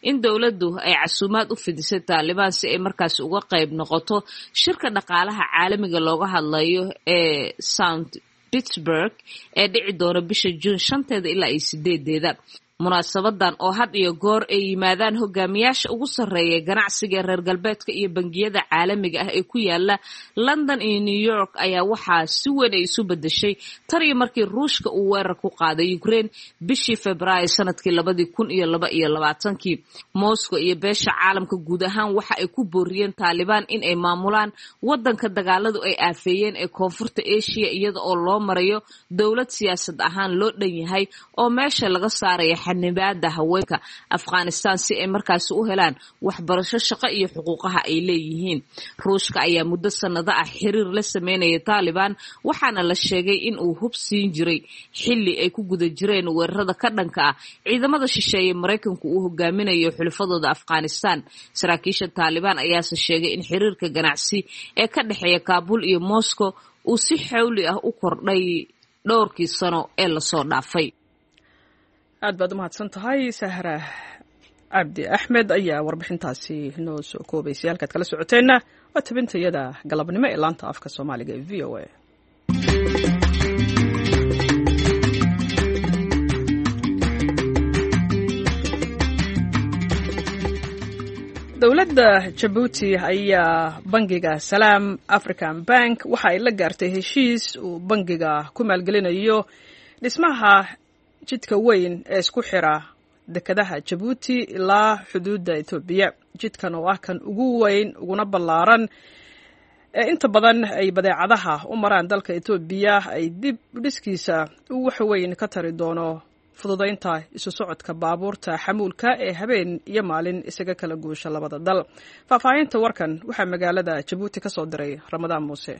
in dowladdu ay casuumaad u fidisay Taalibaan si ay markaasi uga qayb noqoto shirka dhaqaalaha caalamiga looga hadlayo ee Sound Pittsburgh ee dhici doona bisha Juun 5-teeda ilaa iyo 8-deeda. Munaasabadan oo had iyo goor ay yimaadaan hogaamiyaasha ugu sarreeya ganacsiga reer galbeedka iyo bangiyada caalamiga ah ee ku yaala London iyo New York ayaa waxaa si weyn ay isu bedeshay tan iyo markii Ruushka uu weerar ku qaaday Ukraine bishii Febraayo sanadkii 2022. Moscow iyo beesha caalamka guud ahaan waxa ay ku booriyeen Taalibaan in ay maamulaan wadanka dagaaladu ay aafeeyeen ee koonfurta Asia, iyada oo loo marayo dowlad siyaasad ahaan loo dhan yahay oo meesha laga saaraya xanibaada haweenka Afghanistan si ay markaasi u helaan waxbarasho, shaqo iyo xuquuqaha ay leeyihiin. Ruushka ayaa muddo sanado ah xiriir la sameynaya Taalibaan, waxaana la sheegay in uu hub siin jiray xilli ay ku guda jireen weerarada ka dhanka ah ciidamada shisheeye Maraykanku uu hogaaminayo xulafadooda Afghanistan. Saraakiisha Taalibaan ayaase sheegay in xiriirka ganacsi ee ka dhexeeya Kaabul iyo Moscow uu si xawli ah u kordhay dhowrkii sano ee lasoo dhaafay. Aad baad u mahadsan tahay Sahra Cabdi Axmed ayaa warbixintaasi noo soo koobaysay. Halkaad kala socoteenna waa tabintayada galabnimo ee laanta afka Soomaaliga ee VOA. Dowladda Jabuuti ayaa bangiga Salaam African Bank waxa ay la gaartay heshiis uu bangiga ku maalgelinayo dhismaha jidka weyn ee isku xira dekedaha Jabuuti ilaa xuduudda Etoobiya. Jidkan oo ah kan ugu weyn uguna ballaaran ee inta badan ay badeecadaha u maraan dalka Etoobiya ay dib dhiskiisa uu wax weyn ka tari doono fududaynta isu socodka baabuurta xamuulka ee habeen iyo maalin isaga kala guusha labada dal. Faahfaahinta warkan waxaa magaalada Jabuuti ka soo diray Ramadaan Muuse.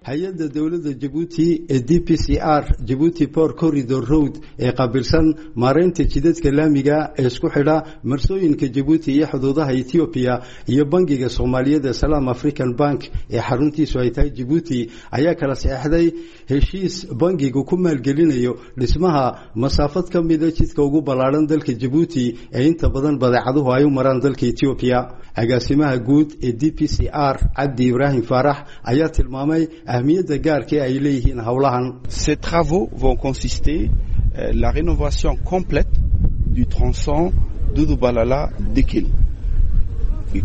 Hay-adda dowladda Jabuuti ee DPCR, Jabuuti Port Corridor Road, ee qaabilsan maareynta jidadka laamiga ee isku xidha marsooyinka Jabuuti iyo xuduudaha Etoobiya, iyo bangiga Soomaaliyeed ee Salaam African Bank ee xaruntiisu ay tahay Jabuuti ayaa kala saxeexday heshiis bangigu ku maalgelinayo dhismaha masaafad ka mida jidka ugu ballaadhan dalka Jabuuti ee inta badan badeecaduhu ay u maraan dalka Etoobiya. Agaasimaha guud ee DPCR, Cabdi Ibraahim Faarax, ayaa tilmaamay ahmiyadda gaarka ay leeyihiin howlahan. Ces travaux vont consister la rénovation complète du tronçon Doudou-Balala-Dikhil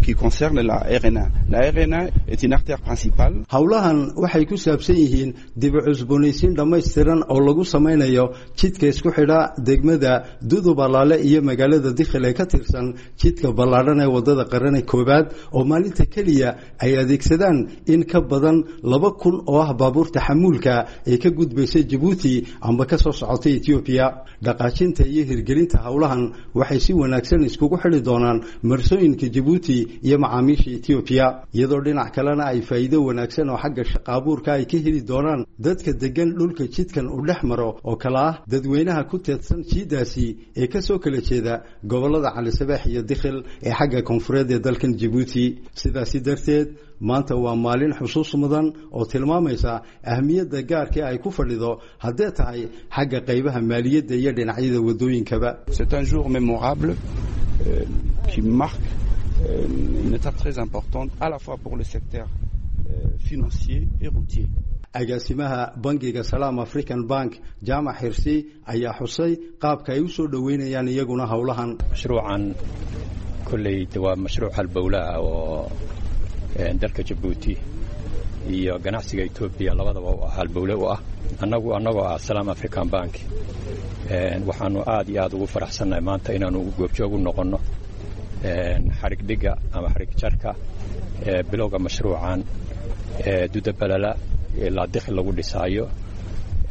qui concerne la RN1. La RN1 est une artère principale. Howlahan waxay ku saabsan yihiin dib u cusboonaysiin dhammaystiran oo lagu samaynayo jidka isku xidha degmada Dudubalaale iyo magaalada Dikhil ee ka tirsan jidka ballaadhan ee wadada qarane koowaad, oo maalinta keliya ay adeegsadaan in ka badan 2000 oo ah baabuurta xamuulka ee ka gudbaysa Jabuuti amba ka soo socota Etoobiya. Dhaqaajinta iyo hirgelinta howlahan waxay si wanaagsan iskugu xidhi doonaan marsooyinka Jabuuti iyo macaamiisha Etoobiya, iyadoo dhinac kalena ay faa'iido wanaagsan oo xagga shaqaabuurka ay ka heli doonaan dadka degan dhulka jidkan uu dhex maro, oo kale ah dadweynaha ku teedsan jiidaasi ee ka soo kala jeeda gobollada Calisabeex iyo Dikhil ee xagga koonfureed ee dalkan Jabuuti. Sidaasi darteed maanta waa maalin xusuus mudan oo tilmaamaysa ahmiyadda gaarka ay ku fadhido haddee tahay xagga qaybaha maaliyadda iyo dhinacyada waddooyinkaba. C'est un jour mémorable qui marque une étape très importante à la fois pour le secteur financier et routier. Agaasimaha bangiga Salaam African Bank, Jaamac Xirsi, ayaa xusay qaabka ay u soo dhoweynayaan iyaguna howlahan. Mashruucan kolley waa mashruuc halbowlaha oo dalka Jabuuti iyo ganacsiga Etoobiya labadaba u ah halbowle u ah. Annagu annagoo ah Salaam African Bank waxaanu aad iyo aad ugu faraxsannahay maanta inaanu goobjoog u noqonno xarigdhigga ama xarig jarka bilowga mashruucan Dudabalala ilaa Dikhil lagu dhisaayo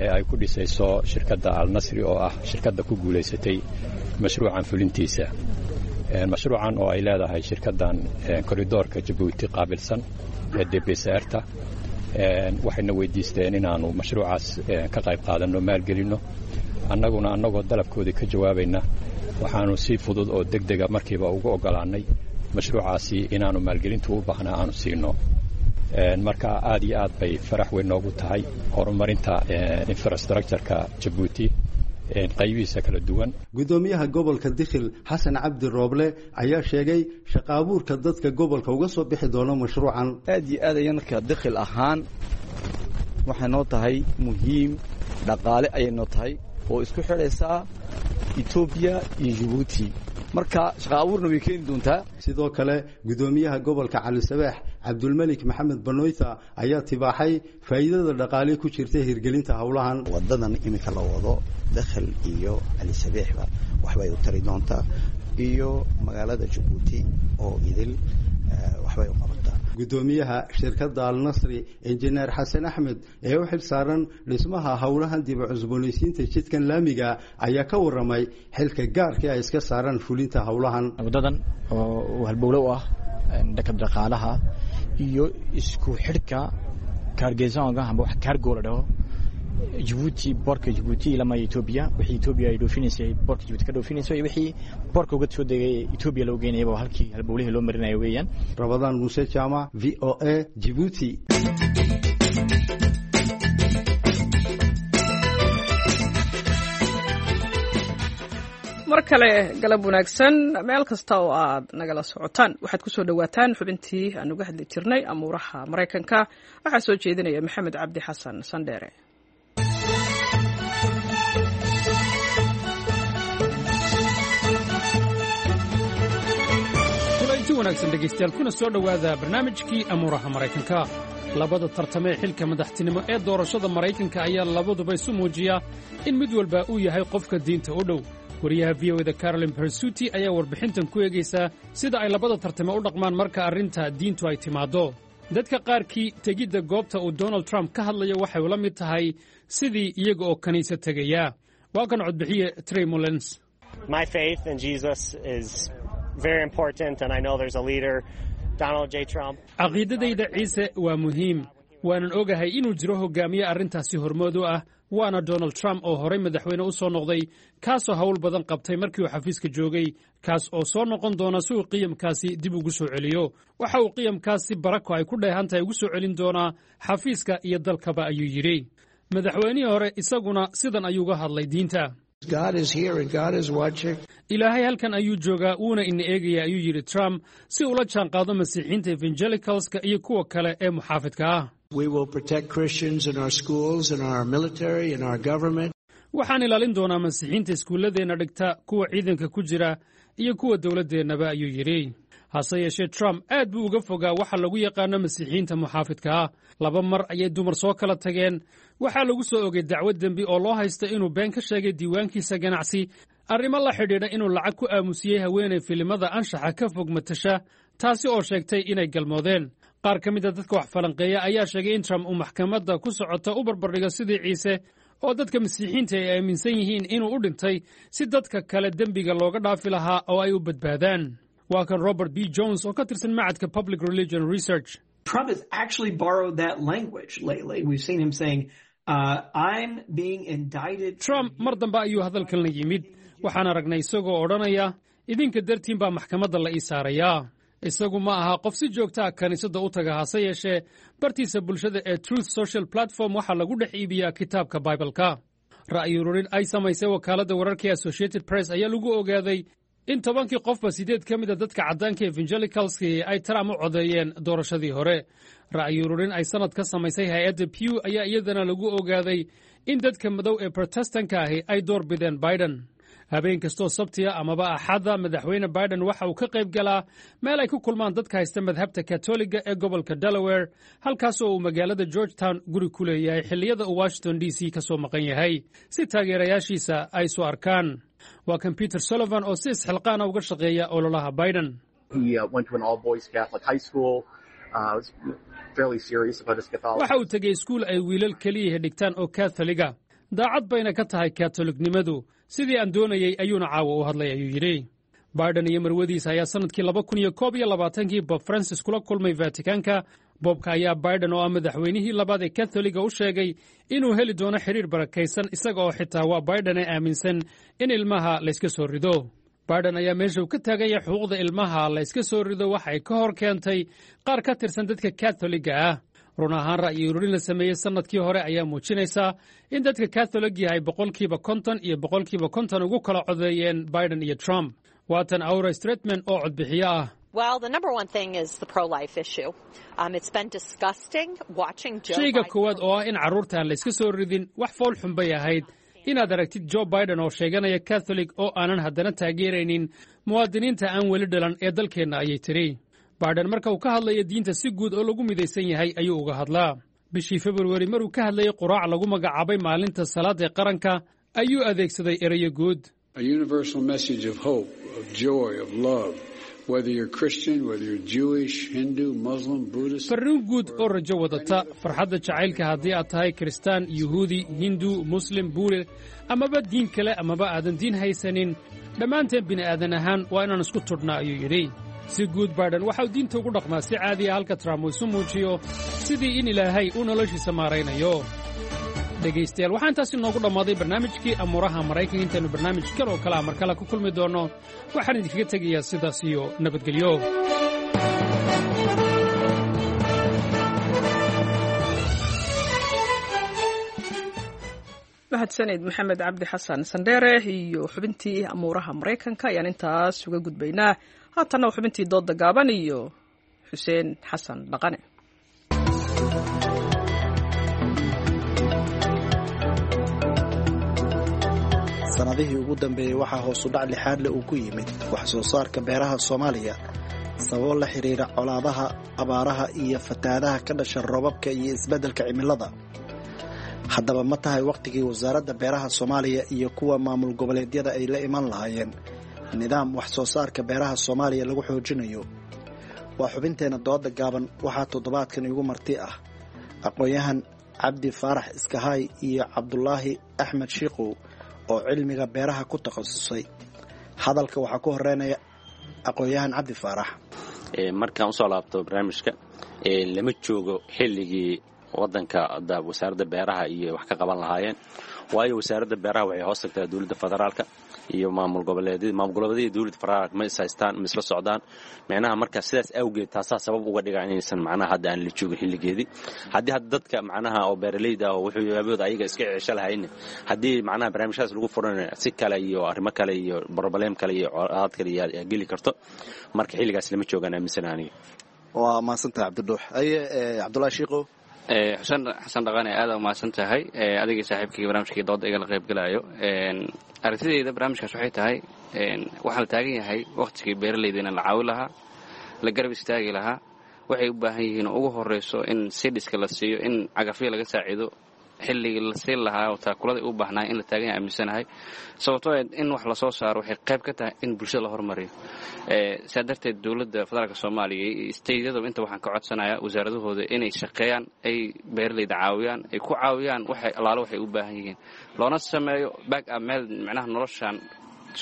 ee ay ku dhisayso shirkadda Alnasri oo ah shirkadda ku guulaysatay mashruucan fulintiisa. Mashruucan oo ay leedahay shirkaddan koridoorka Jabuuti qaabilsan ee DPCR-ta waxayna weydiisteen inaannu mashruucaas ka qayb qaadanno, maalgelinno. Annaguna annagoo dalabkoodii ka jawaabayna waxaanu si fudud oo deg dega markiiba ugu oggolaannay mashruucaasi inaannu maalgelintu u baahnaa aanu siino. Marka aad iyo aad bay farax weyn noogu tahay horumarinta infrastructureka Jabuuti qaybihiisa kala duwan. Guddoomiyaha gobolka Dikhil, Xasan Cabdi Rooble, ayaa sheegay shaqa abuurka dadka gobolka uga soo bixi doono mashruucan. Aad iyo aad ayaan markaa Dikhil ahaan Waxay noo tahay muhiim dhaqaale ayay noo tahay oo isku xidhaysaa Etoobiya iyo Jibuuti. Marka shaqa abuurna way keeni doontaa. Sidoo kale, gudoomiyaha gobolka Cali Sabeex, Cabdulmelik Maxamed Banoyta, ayaa tibaaxay faa'iidada dhaqaale ku jirta hirgelinta howlahan. Wadadan iminka la wado Dakhal iyo Cali Sabeexba waxbay u tari doontaa, iyo magaalada Jabuuti oo idil waxbay u qabataa. Gudoomiyaha shirkadda Alnasri, Injineer Xasan Axmed, ee u xil saaran dhismaha howlahan dib u cusboonaysiinta jidkan laamiga, ayaa ka waramay xilka gaarka ay iska saaran fulinta howlahan. Wadadan oo halbowlo u ah dhanka dhaqaalaha iyo isku xidhka cargaisonga amba wax cargo la dhaho, Jabuuti, boorka Jabuuti ilama Etoobiya, wixii Etoobiya ay dhoofinaysay boorka Jabuuti ka dhoofinayso iyo wixii boorka uga soo degay Etoobiya loo geynayaba, halkii halbowlihii loo marinayo weeyaan. Rabadaan Muuse Jaamac, VOA, Jibuuti. Mar kale galab wanaagsan meel kasta oo aad nagala socotaan. Waxaad kusoo dhowaataan xubintii aan uga hadli jirnay amuuraha Maraykanka. Waxaa soo jeedinaya Maxamed Cabdi Xasan Sandheere. Kulanti wanaagsan dhegaystayaal, kuna soo dhowaada barnaamijkii amuuraha Maraykanka. Labada tartamee xilka madaxtinimo ee doorashada Maraykanka ayaa labaduba isu muujiya in mid walba uu yahay qofka diinta u dhow. Wariyaha VOA-da Carolyn Bersuti ayaa warbixintan ku eegaysaa sida ay labada tartame u dhaqmaan marka arrinta diintu ay timaaddo. Dadka qaarkii tegidda goobta uu Donald Trump ka hadlayo waxay ula mid tahay sidii iyaga oo kiniisad tegaya. Waa kan codbixiye Trey Mullens. My faith in Jesus is very important, and I know there's a leader, Donald J. Trump. Caqiidadayda Ciise waa muhiim, waanan ogahay inuu jiro hoggaamiye arrintaasi hormood u ah, waana Donald Trump oo horay madaxweyne u soo noqday, kaasoo hawl badan qabtay markii uu xafiiska joogay, kaas oo soo noqon doona si uu qiyamkaasi dib ugu soo celiyo. Waxa uu qiyamkaasi barako ay ku dheehan tahay ugu soo celin doonaa xafiiska iyo dalkaba, ayuu yidhi. Madaxweynihii hore isaguna sidan ayuu uga hadlay diinta. Ilaahay halkan ayuu joogaa, wuuna ina eegaya, ayuu yidhi Trump, si ula jaanqaado Masiixiinta evangelicalska iyo kuwa kale ee muxaafidka ah. Waxaan ilaalin doonaa Masiixiinta iskuulladeenna dhigta, kuwa ciidanka ku jira iyo kuwa dowladdeennaba, ayuu yidhi. Hase yeeshee, Trump aad buu uga fogaa waxa lagu yaqaano Masiixiyiinta muxaafidka ah. Laba mar ayay dumar soo kala tageen. Waxaa lagu soo ogay dacwad dembi oo loo haysta inuu been ka sheegay diiwaankiisa ganacsi, arrimo la xidhiidha inuu lacag ku aamusiyey haweenay filimada anshaxa ka fog matasha, taasi oo sheegtay inay galmoodeen. Qaar ka mid a dadka wax falanqeeya ayaa sheegay in Trump uu maxkamadda ku socota u barbardhigo sidii Ciise, oo dadka Masiixiinta ay aaminsan yihiin inuu u dhintay si dadka kale dembiga looga dhaafi lahaa oo ay u badbaadaan. Waa kan Robert B Jones oo ka tirsan macadka Public Religion Research. Trump has actually borrowed that language lately. We've seen him saying, "I'm being indicted." Trump mar dambe ayuu hadalkan la yimid. Waxaan aragnay isagoo odhanaya, "Idinka dartiin baa maxkamadda la ii saarayaa." Isagu ma aha qof si joogta ah kiniisadda u taga, hase yeeshee bartiisa bulshada ee Truth Social platform waxaa lagu dhex iibiyaa kitaabka Baibalka. Ra'yi ururin ay samaysay wakaaladda wararka ee Associated Press ayaa lagu ogaaday in 10-kii qofba 8 ka mida dadka caddaanka evangelicalski ay Trump u codeeyeen doorashadii hore. Ra'yi ururin ay sannad ka samaysay hay-adda Pew ayaa iyadana lagu ogaaday in dadka madow ee Protestanka ahi ay door bideen Biden. Habeen kastoo Sabtiya amaba Axadda, Madaxweyne Biden waxa uu ka qayb galaa meel ay ku kulmaan dadka haysta madhabta Katoliga ee gobolka Delaware, halkaas oo uu magaalada Georgetown guri ku leeyahay xilliyada uu Washington DC ka soo maqan yahay, si taageerayaashiisa ay isu arkaan. Waa kan Peter Sullivan oo si isxilqaana uga shaqeeya ololaha Biden. Waxa uu tegey iskuul ay wiilal keliyaha dhigtaan oo Katholiga. Daacad bayna ka tahay Katolignimadu. Sidii aan doonayey ayuuna caawa u hadlay, ayuu yidhi. Biden iyo marwadiisa ayaa sannadkii 2021-kii Bob Francis kula kulmay Vatikaanka. Bobka ayaa Biden oo ah madaxweynihii labaad ee Katholiga u sheegay inuu heli doono xidhiir barakaysan, isaga oo xitaa waa Biden ee aaminsan in ilmaha layska soo rido. Biden ayaa meesha uu ka taagan yahay xuquuqda ilmaha la yska soo rido waxay ka hor keentay qaar ka tirsan dadka Katholiga ah. Run ahaan, ra'yi ururin la sameeyey sannadkii hore ayaa muujinaysaa in dadka Katholig yahay 50% iyo 50% ugu kala codeeyeen Biden iyo Trump. Waatan Aura Stretman oo codbixiyo ah. Well, the number one thing is the pro-life issue. It's been disgusting watching Joe Shayga Biden. Koowaad oo ah in carruurta aan layska soo ridin, wax fool xun bay ahayd inaad aragtid Joe Biden oo sheeganaya Catholic oo aanan haddana taageeraynin muwaadiniinta aan weli dhalan ee dalkeenna, ayay tidhi. Biden marka uu ka hadlayo diinta, si guud oo lagu midaysan yahay ayuu uga hadlaa. Bishii Februari, maruu ka hadlayay quraac lagu magacaabay maalinta salaada ee qaranka, ayuu adeegsaday erayo guud. A universal message of hope, of joy, of love, whether you're Christian, whether you're Jewish, Hindu, Muslim, Buddhist. Farriin guud oo rajo wadata, farxadda jacaylka, haddii aad tahay Kiristaan, Yuhuudi, Hindu, Muslim, Buule amaba diin kale amaba aadan diin haysanin, dhammaanteen bini'aadan ahaan waa inaan isku tudhnaa, ayuu yidhi. Si guud Biden waxa uu diinta ugu dhaqmaa si caadiya, halka Trump uu isu muujiyo sidii in Ilaahay uu noloshiisa maaraynayo. Dhegaystayaal, waxaa intaasi noogu dhammaaday barnaamijkii amuuraha Maraykanka. Intaynu barnaamij kale oo kale a mar kale ku kulmi doonno, waxaan idinkaga tegayaa sidaas iyo nabadgelyo. Mahadsanid Maxamed Cabdi Xasan Sandheere iyo xubintii amuuraha Maraykanka ayaan intaas uga gudbaynaa. Haatanna waa xubintii doodda gaaban iyo Xuseen Xasan Dhaqane. Sanadihii ugu dambeeyey waxaa hoosudhac lixaad leh uu ku yimid wax soo saarka beeraha Soomaaliya, sababo la xiriira colaadaha, abaaraha iyo fatahaadaha ka dhasha roobabka iyo isbeddelka cimilada. Haddaba, ma tahay wakhtigii wasaaradda beeraha Soomaaliya iyo kuwa maamul goboleedyada ay la iman lahaayeen nidaam wax soo saarka beeraha Soomaaliya lagu xoojinayo? Waa xubinteenna dooda gaaban. Waxaa toddobaadkan igu marti ah aqoon-yahan Cabdi Faarax Iskahaay iyo Cabdulaahi Axmed Shiikow oo cilmiga beeraha ku takhasusay. Hadalka waxaa ku horeynaya aqoon-yahan Cabdi Faarax. Markaan usoo laabto barnaamijka, lama joogo xilligii wadanka wasaaradda beeraha iyo wax ka qaban lahaayeen, waayo wasaaradda beeraha waxay hoos tagtaa dowladda federaalka iyo maamul goboleedyada. Maamul goboleedyada dowladda federaalka ma is haystaan, ma isla socdaan micnaha. Marka sidaas awgeed taasaa sabab uga dhiga inaysan macnaha hadda aan la joogin xilligeedii. Haddii hadda dadka macnaha oo beeralayda ah oo wuxuu aabooda ayaga iska cesho lahayn, haddii macnaha barnaamijyadaas lagu furanayo si kale iyo arrimo kale iyo problem kale iyo colaad kale iyo geli karto, marka xilligaas lama joogaan aaminsan aniga. Waa mahadsantahay, Cabdidhuux. Aye, Cabdulaahi Shiikow. Xuseen Xasan Dhaqane, aada umahadsan tahay adigii saaxiibkii barnaamijkii dooda igala qayb galayo. Aragtidayda barnaamijkaas waxay tahay, waxaa la taagan yahay wakhtigii beeralayda in la caawi lahaa, la garab istaagi lahaa. Waxay u baahan yihiin oo ugu horeyso in sidhiska la siiyo, in cagafyo laga saaciido, xilligii la siin lahaa oo taakulada u baahnaa in la taagan yahay aaminsanahay, sababtoo in wax lasoo saaro waxay qayb ka tahay in bulshada la hormariyo. Saa darteed dowladda federaalka Soomaaliya iyo steydyadaba inta waxaan ka codsanayaa wasaaradahooda inay shaqeeyaan, ay beeralayda caawiyaan, ay ku caawiyaan waxay allaalo waxay u baahan yihiin, loona sameeyo back up meel macnaha noloshan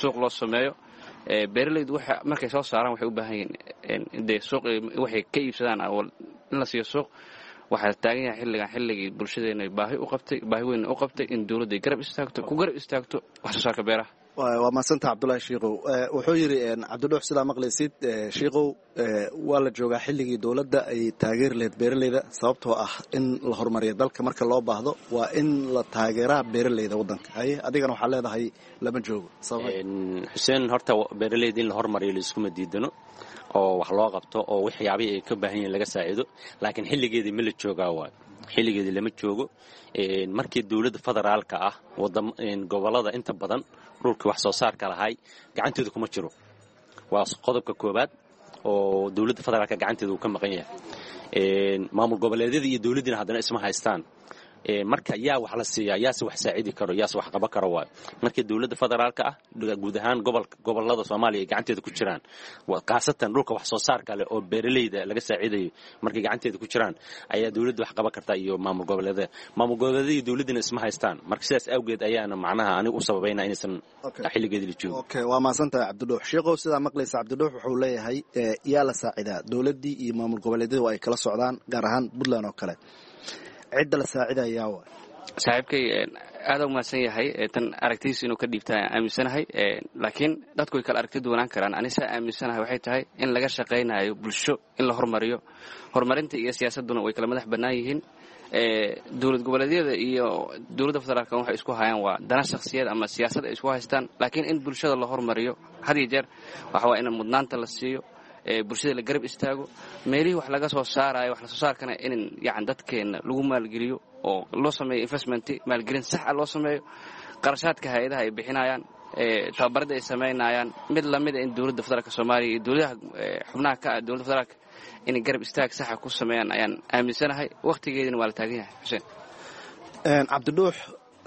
suuq loo sameeyo. Beeralaydu waxa markay soo saaraan waxay u baahan yihiin dee suuq waxay ka iibsadaan in la siiyo suuq. Waxaa taagan yahay xilligan xilligii bulshadeena baahi u qabtay, baahi weyn u qabtay in dowladda ay garab istaagto, ku garab istaagto wax soo saarka beeraha. Waa mahadsantaha, Cabdulaahi Shiikow. Wuxuu yidhi Cabdidhuux, sidaa maqlaysid Shiikow, waa la joogaa xilligii dowladda ay taageeri lahayd beeralayda, sababtoo ah in la horumariyo dalka marka loo baahdo waa in la taageeraa beeralayda waddanka. Haye, adigana waxaa leedahay lama joogo. Xuseen, horta beeralayda in la horumariyo laiskuma diidano oo wax loo qabto oo waxyaabihii ay ka baahan yihiin laga saaciido, laakiin xilligeedii ma la joogaa? Waayo, xilligeedii lama joogo. Markii dowladda federaalka ah gobolada inta badan dhulkii wax soo saarka lahay gacantooda kuma jiro. Waa qodobka koowaad oo dowladda federaalka gacanteeda uu ka maqan yahay. Maamul goboleedyada iyo dowladdiina haddana isma haystaan. Marka yaa wax la siiyaa, yaase wax saacidi karo, yaase wax qaban karo? Waayo, markii dowladda federaalka ah guud ahaan gobolada Soomaaliya ay gacanteeda ku jiraan, khaasatan dhulka wax soo saarka leh oo beeralayda laga saacidayo markay gacanteeda ku jiraan, ayaa dowladda wax qaban karta iyo maamul goboleedada. Maamul goboleedada iyo dowladdina isma haystaan. Marka sidaas awgeed ayaana macnaha aniga u sababayna inaysan xilligeedii la joogin. Okay, waa mahadsantahay, Cabdidhuux. Sheekhow, sidaa maqlaysa, Cabdidhuux wuxuu leeyahay yaa la saacidaa? Dowladdii iyo maamul goboleedyada waa ay kala socdaan, gaar ahaan Puntland oo kale. Cidda la saacidayaa wa Saaxiibkay aada u mahadsan yahay. Tan aragtidiisa inuu ka dhiibta aaminsanahay, laakiin dadku way kala aragti duwanaan karaan. Ani saa aaminsanahay waxay tahay in laga shaqaynayo bulsho in la hormariyo. Horumarinta iyo siyaasadduna way kala madax bannaan yihiin. Dowlad goboleedyada iyo dowladda federaalka waxay isku hayaan waa dana shakhsiyeed ama siyaasad ay isku haystaan, laakiin in bulshada la hormariyo had iyo jeer waxa waa in mudnaanta la siiyo. Bulshada la garab istaago, meelihii wax laga soo saarayo, wax lasoo saarkana in yani dadkeenna lagu maalgeliyo oo loo sameeyo investment, maalgelin sax ah loo sameeyo. Qarashaadka hay-adaha ay bixinayaan, tababarada ay samaynayaan, mid lamida in dowladda federaalka Soomaaliya iyo dowladaha xubnaha ka ah dowladda federaalka inay garab istaag saxa ku sameeyaan ayaan aaminsanahay. Wakhtigeedina waa la taagan yahay, Xuseen. Cabdidhuux,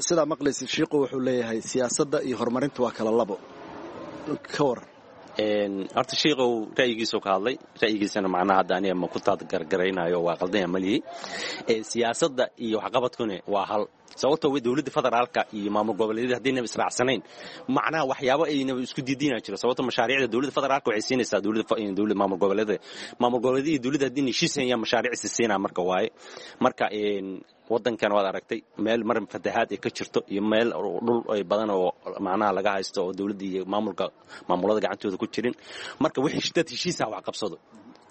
sidaa maqlaysid, Shiiqu wuxuu leeyahay siyaasadda iyo horumarinta waa kala labo, ka waran? Horta shiikow ra'yigiisuu ka hadlay, ra'yigiisana macnaha hadda aniga ma ku taadgargaraynayo, waa qaldanya malihi. Siyaasadda iyo waxqabadkuna waa hal, sababtoo w dowladda federaalka iyo maamul goboleedyada haddaynaba israacsanayn, macnaha waxyaabo aynaba isku diidina jiro. Sababto mashaariicda dowladda federaalka waxay siinaysaa dowladda maamul goboleedyada, maamul goboleedyada iyo dowladda haddii heshiisayaan mashaariic si siinaa. Marka waaye, marka waddankan waad aragtay meel mar fatahaad ay ka jirto iyo meel dhul ay badan oo macnaha laga haysto oo dowladda iyo maamulka maamulada gacantooda ku jirin. Marka wixii dad heshiisa wax qabsado,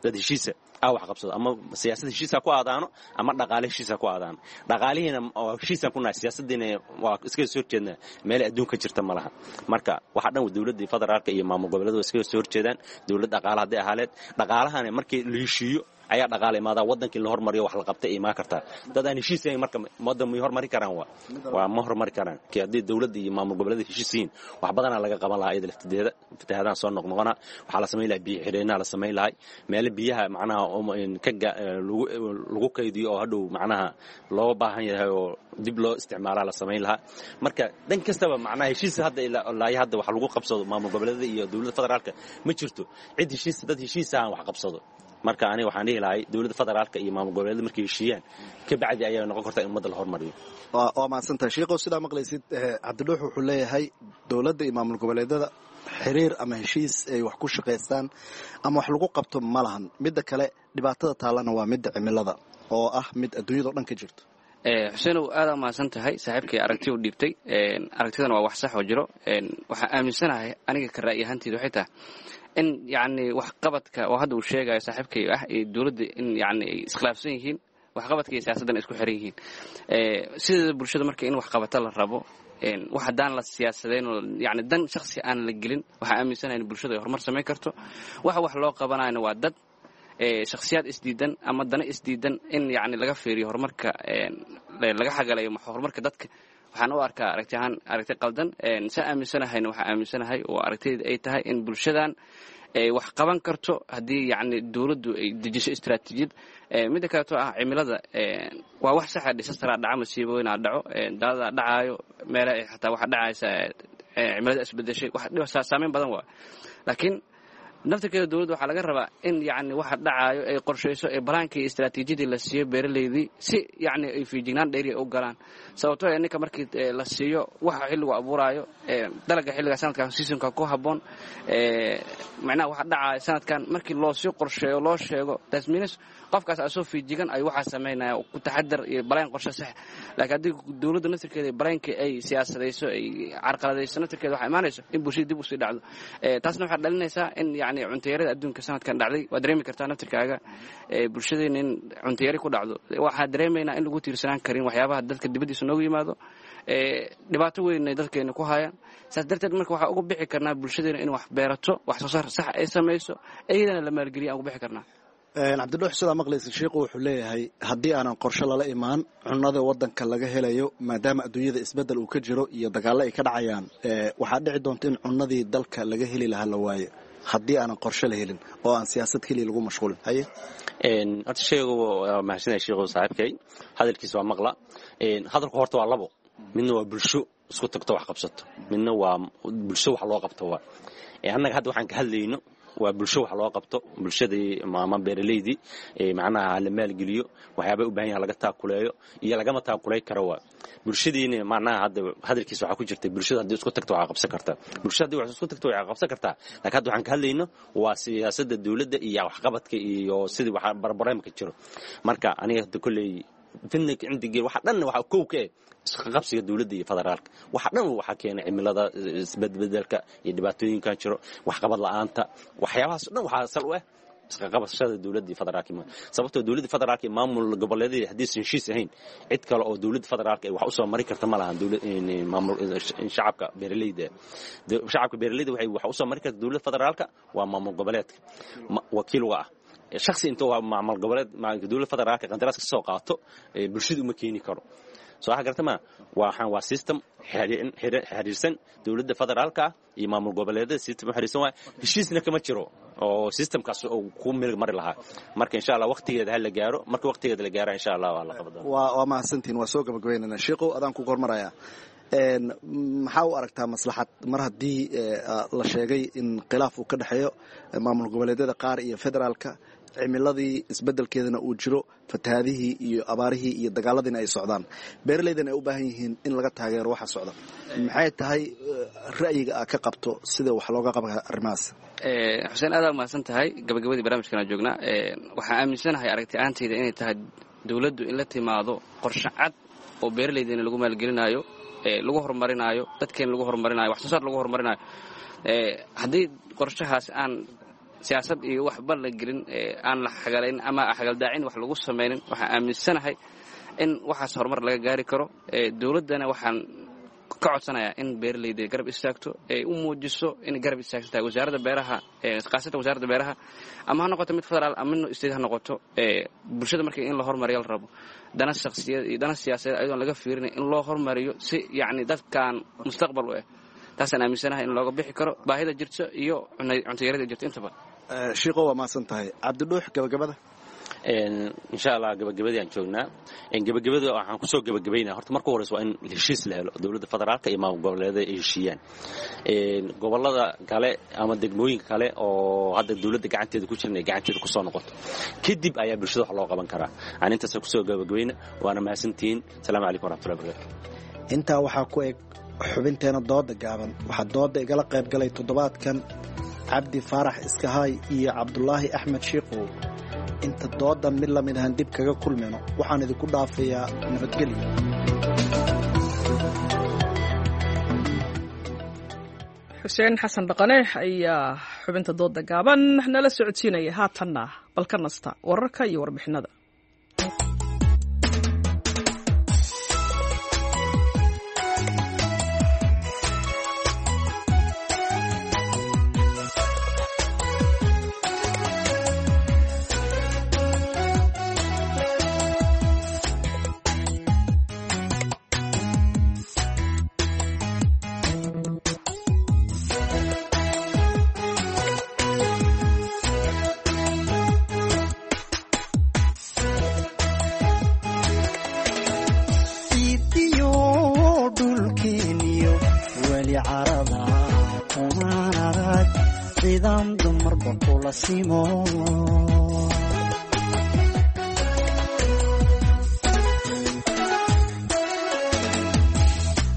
dad heshiisa wax qabsado, ama siyaasad heshiisa ku aadaano ama dhaqaale heshiisa ku aadaano. Dhaqaalihiina waa heshiisaan ku nahay, siyaasadiina waa iskaga soo horjeednaa, meel adduunka jirta ma laha. Marka waxa dhan dowladda federaalka iyo maamul goboleedu waa iskaga soo horjeedaan. Dowlad dhaqaale hadday ahaaleed, dhaqaalahana markii la heshiiyo ayaa dhaqaale imaadaa, waddankii la hormariyo wax la qabtay imaan kartaa. Dad aan heshiisayn marka waddan may hormari karaan? Waa ma hormari karaan. Kii haddii dowladda iyo maamul goboleeda heshiisiin, wax badanaa laga qaban lahaa. Iyada laftideeda fatahaadahan soo noqnoqona waxaa la samayn lahaa biyo xidheenaa la samayn lahay, meelo biyaha macnaha lagu kaydiyo oo hadhow macnaha loo baahan yahay oo dib loo isticmaalaa la samayn lahaa. Marka dhan kastaba macnaha heshiis hadda ilaa hadda wax lagu qabsado maamul goboleedada iyo dowladda federaalka ma jirto. Cid heshiis, dad heshiisahan wax qabsado. Marka aniga waxaan dhihi lahay dowladda federaalka iyo maamul goboleedada markay heshiiyaan ka bacdi ayaa noqon karta in ummadda la hormariyo. Waa mahadsantahay, Shiikow. Sidaa maqlaysid, Cabdidhuux wuxuu leeyahay dowladda iyo maamul goboleedada xiriir ama heshiis ay wax ku shaqaystaan ama wax lagu qabto ma lahan. Midda kale, dhibaatada taallana waa midda cimilada oo ah mid adduunyado dhan ka jirto. Xuseenow, aadaa mahadsan tahay. Saaxiibkay aragti u dhiibtay, aragtidana waa wax sax oo jiro. Waxaan aaminsanahay aniga ka ra'yi ahaanteyda waxay tahay in yacni waxqabadka oo hadda uu sheegayo saaxiibkay ah iyo dowladda in yacni ay iskhilaafsan yihiin, waxqabadka iyo siyaasaddan ay isku xiran yihiin. Sideeda bulshada marka in waxqabata la rabo, wax haddaan la siyaasadeyn oo yacni dan shakhsi aan la gelin, waxaan aaminsanahay in bulshada ay horumar samayn karto. Waxa wax loo qabanayana waa dad shakhsiyaad isdiidan ama dana isdiidan in yacni laga fiiriyo horumarka, laga xagalayo horumarka dadka, waxaan u arkaa aragti ahaan aragti qaldan. Saa aaminsanahayna, waxaa aaminsanahay oo aragtidayda ay tahay in bulshadan ay wax qaban karto haddii yacni dowladdu ay dejiso istaraatiijiyad. Midda kaleeto ah cimilada, waa wax saxa, disasteraa dhaca, masiibooyinaa dhaco, daadadaa dhacaayo, meela xataa waxaa dhacaysa cimilada isbedeshay, wax saameyn badan waa. Laakiin naftirkeeda dowladda waxaa laga rabaa in yacni waxa dhacaayo ay qorshayso, ee balaankii iyo istaraatiijiyadii la siiyo beeraleydii si yacni ay feejignaan dheeriya u galaan. Sababtoo ee ninka markii la siiyo waxa xilligu abuuraayo, dalaga xilliga sanadkan seasonka ku habboon, macnaha waxa dhacaayo sanadkan markii loo sii qorsheeyo, loo sheego, tasmiinis qofkaas asoo feejigan ay waxaa samaynaya ku taxadar iyo balaan qorshe sax. Laakiin haddii dowladda naftirkeeda balaankii ay siyaasadayso, ay carqaladayso, naftirkeeda waxaa imaanayso in bulshada dib usii dhacdo. Taasna waxaa dhalinaysaa in yacni cuntayarada adduunka sanadkan dhacday waa dareemi kartaa naftirkaaga, bulshadeena in cuntayari ku dhacdo. Waxaa dareemaynaa in lagu tiirsanaan karin waxyaabaha dadka dibaddiisa noogu yimaado, dhibaato weyn ay dadkeena ku hayaan. Saas darteed marka waxaa uga bixi karnaa bulshadeena in wax beerato, wax soo saar sax ay samayso, iyadana la maalgeliya aan uga bixi karnaa. Cabdidhuux, sidaa maqlaysa, Shiiqu wuxuu leeyahay haddii aanan qorshe lala imaan cunnada waddanka laga helayo, maadaama adduunyada isbeddel uu ka jiro iyo dagaallo ay ka dhacayaan, waxaa dhici doonta in cunnadii dalka laga heli lahaa la waayo haddii aanan qorshe la helin oo aan siyaasad keliya lagu mashquulin. Haye. Horta sheegu waa mahadsanyahay sheekhu, saaxiibkay hadalkiisa waa maqla. Hadalku horta waa labo, midna waa bulsho isku tagto wax qabsato, midna waa bulsho wax loo qabto. Waa annaga hadda waxaan ka hadlayno waa bulsho wax loo qabto, bulshadii ama beeraleydii macnaha la maalgeliyo, waxyaabay u baahan yahan laga taakuleeyo iyo lagama taakulay karo. Waa bulshadiina macnaha hadda hadalkiisa waxaa ku jirtay bulshada haddii isku tagto waxaa qabsan kartaa, bulshada haddii wax isku tagto waxaa qabsan kartaa. Laakiin hadda waxaan ka hadlayno waa siyaasadda dowladda iyo waxqabadka iyo sidii waxa barbareemka jiro. Marka aniga hadda kolley fidna cindigii waxa dhan waxa kow ka eh isqabsiga dowladda iyo federaalka. Waxa dhan waxa keenay cimilada isbedbedelka iyo dhibaatooyinkan jiro, waxqabad la'aanta, waxyaabahaas dhan waxaa sal u ah Isqaqabashada dowladda federaalka, sababtoo dowladda federaalka iyo maamul goboleedyada haddiisan heshiis ahayn, cid kale oo dowladda federaalka ay wax usoo mari karta ma lahan. Maamul shacabka beeraleyda, shacabka beeraleyda waxay wax usoo mari karta dowladda federaalka waa maamul goboleedka wakiil uga ah. Shakhsi intuu maamul goboleed dowladda federaalka qandaraas ka soo qaato bulshada uma keeni karo. Soo waxa garta ma waxaan waa system xiriirsan dowladda federaalka iyo maamul goboleedyada, system xiriirsan waa, heshiisna kama jiro oo systemkaas uu ku meel mari lahaa. Marka insha Allah waqtigeeda ha la gaaro, marka waqtigeeda la gaaro insha Allah waa la qabada. Waa mahadsantihiin, waa soo gabagabaynana. Sheekhow, adaan ku kormaraya, maxaa u aragtaa maslaxad mar haddii la sheegay in khilaaf uu ka dhexeeyo maamul goboleedyada qaar iyo federaalka, cimiladii isbedelkeedana uu jiro, fatahaadihii iyo abaarihii iyo dagaaladiina ay socdaan, beeraleydana ay u baahan yihiin in laga taageero waxa socda? Maxay tahay ra'yiga aad ka qabto sida wax looga qaban arrimahaas? Xuseen, aad aa umahadsan tahay. Gabagabadii barnaamijkan joognaa. Waxaan aaminsanahay aragti ahaantayda inay tahay dowladdu in la timaado qorshe cad oo beeraleydana lagu maalgelinaayo, lagu horumarinaayo dadkeena, lagu horumarinayo wax soo saar, lagu horumarinayo. Haddii qorshahaas aan siyaasad iyo waxba la gelin, aan la xagalayn ama xagaldaacin wax lagu samaynin, waxaan aaminsanahay in waxaas horumar laga gaari karo. Dowladdana waxaan ka codsanayaa in beeraleyda garab istaagto, ay u muujiso inay garab istaagsan tahay wasaaradda beeraha, khaasatan wasaaradda beeraha, ama ha noqoto mid federaal ama mid state ha noqoto. Bulshada marka in la horumariyo la rabo, dana shakhsiyeed iyo dana siyaasadeed ayadoon laga fiirinay in loo horumariyo si yacni dadkan mustaqbal u ah. Taasaan aaminsanahay in looga bixi karo baahida jirto iyo cuntayarada jirto intaba. Shiiqo, waa mahadsan tahay. Cabdidhuux, gabagabada. Insha Allah gabagabadii aan joognaa. Gabagabada waxaan kusoo gabagabaynaa, horta marka horeysa waa in heshiis la helo, dowladda federaalka iyo maamul goboleedyada ay heshiiyaan. Gobolada kale ama degmooyinka kale oo hadda dowladda gacanteeda ku jiran ay gacanteeda kusoo noqoto, kadib ayaa bulshada wax loo qaban karaa. Aan intaas kusoo gabagabayna, waana mahadsantihiin. Asalaamu calaykum waraxmatullahi wabarakatu. Intaa waxaa ku eg xubinteena dooda gaaban. Waxaa dooda igala qayb galay toddobaadkan Cabdi Faarax Iskahaay iyo Cabdulaahi Axmed Shiikow. Inta doodan mid lamid ahan dib kaga kulmayno, waxaan idinku dhaafayaa nabadgelyo. Xuseen Xasan Dhaqane ayaa xubinta dooda gaaban nala socodsiinaya. Haatanna bal ka nasta wararka iyo warbixinada.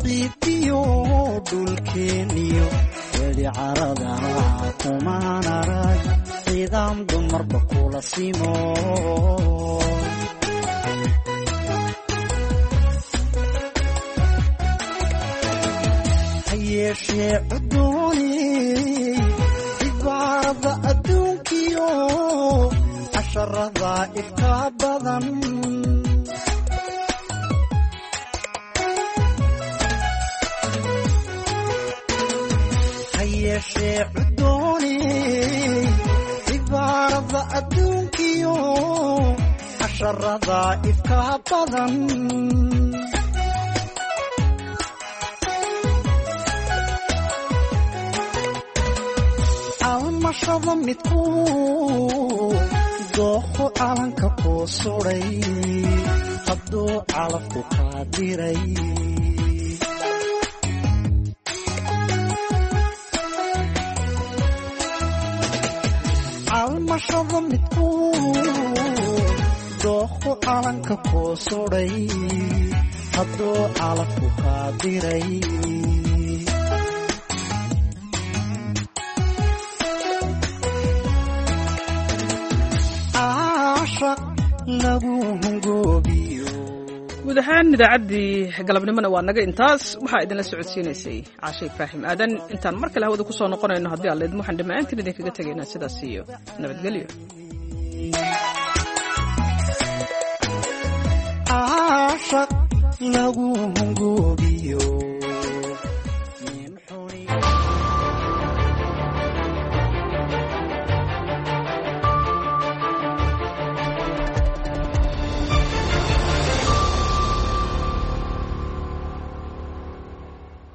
Ciidiyo dhulkeeniyo weli carada kumaan arag ciidam dumarba kula simo. Hayeeshee cudooni cibaarada adduunkiyo casharada ifka badan. Hayeeshee cudooni cibaarada adduunkiyo casharada ifka badan. Almashada midku dooqu calanka kuu suday hadduu calafku kaa diray. Almashada midku dooqu calanka kuu suday hadduu calafku kaa diray. Guud ahaan idaacaddii galabnimona waa naga intaas. Waxaa idinla socodsiinaysay Caashe Ibraahim Aadan. Intaan mar kale hawada ku soo noqonayno, haddii Alla idmo, waxaan dhammaantiin idinkaga tegaynaa sidaas iyo nabadgelyo. Caashaq lagu hungoobiyo.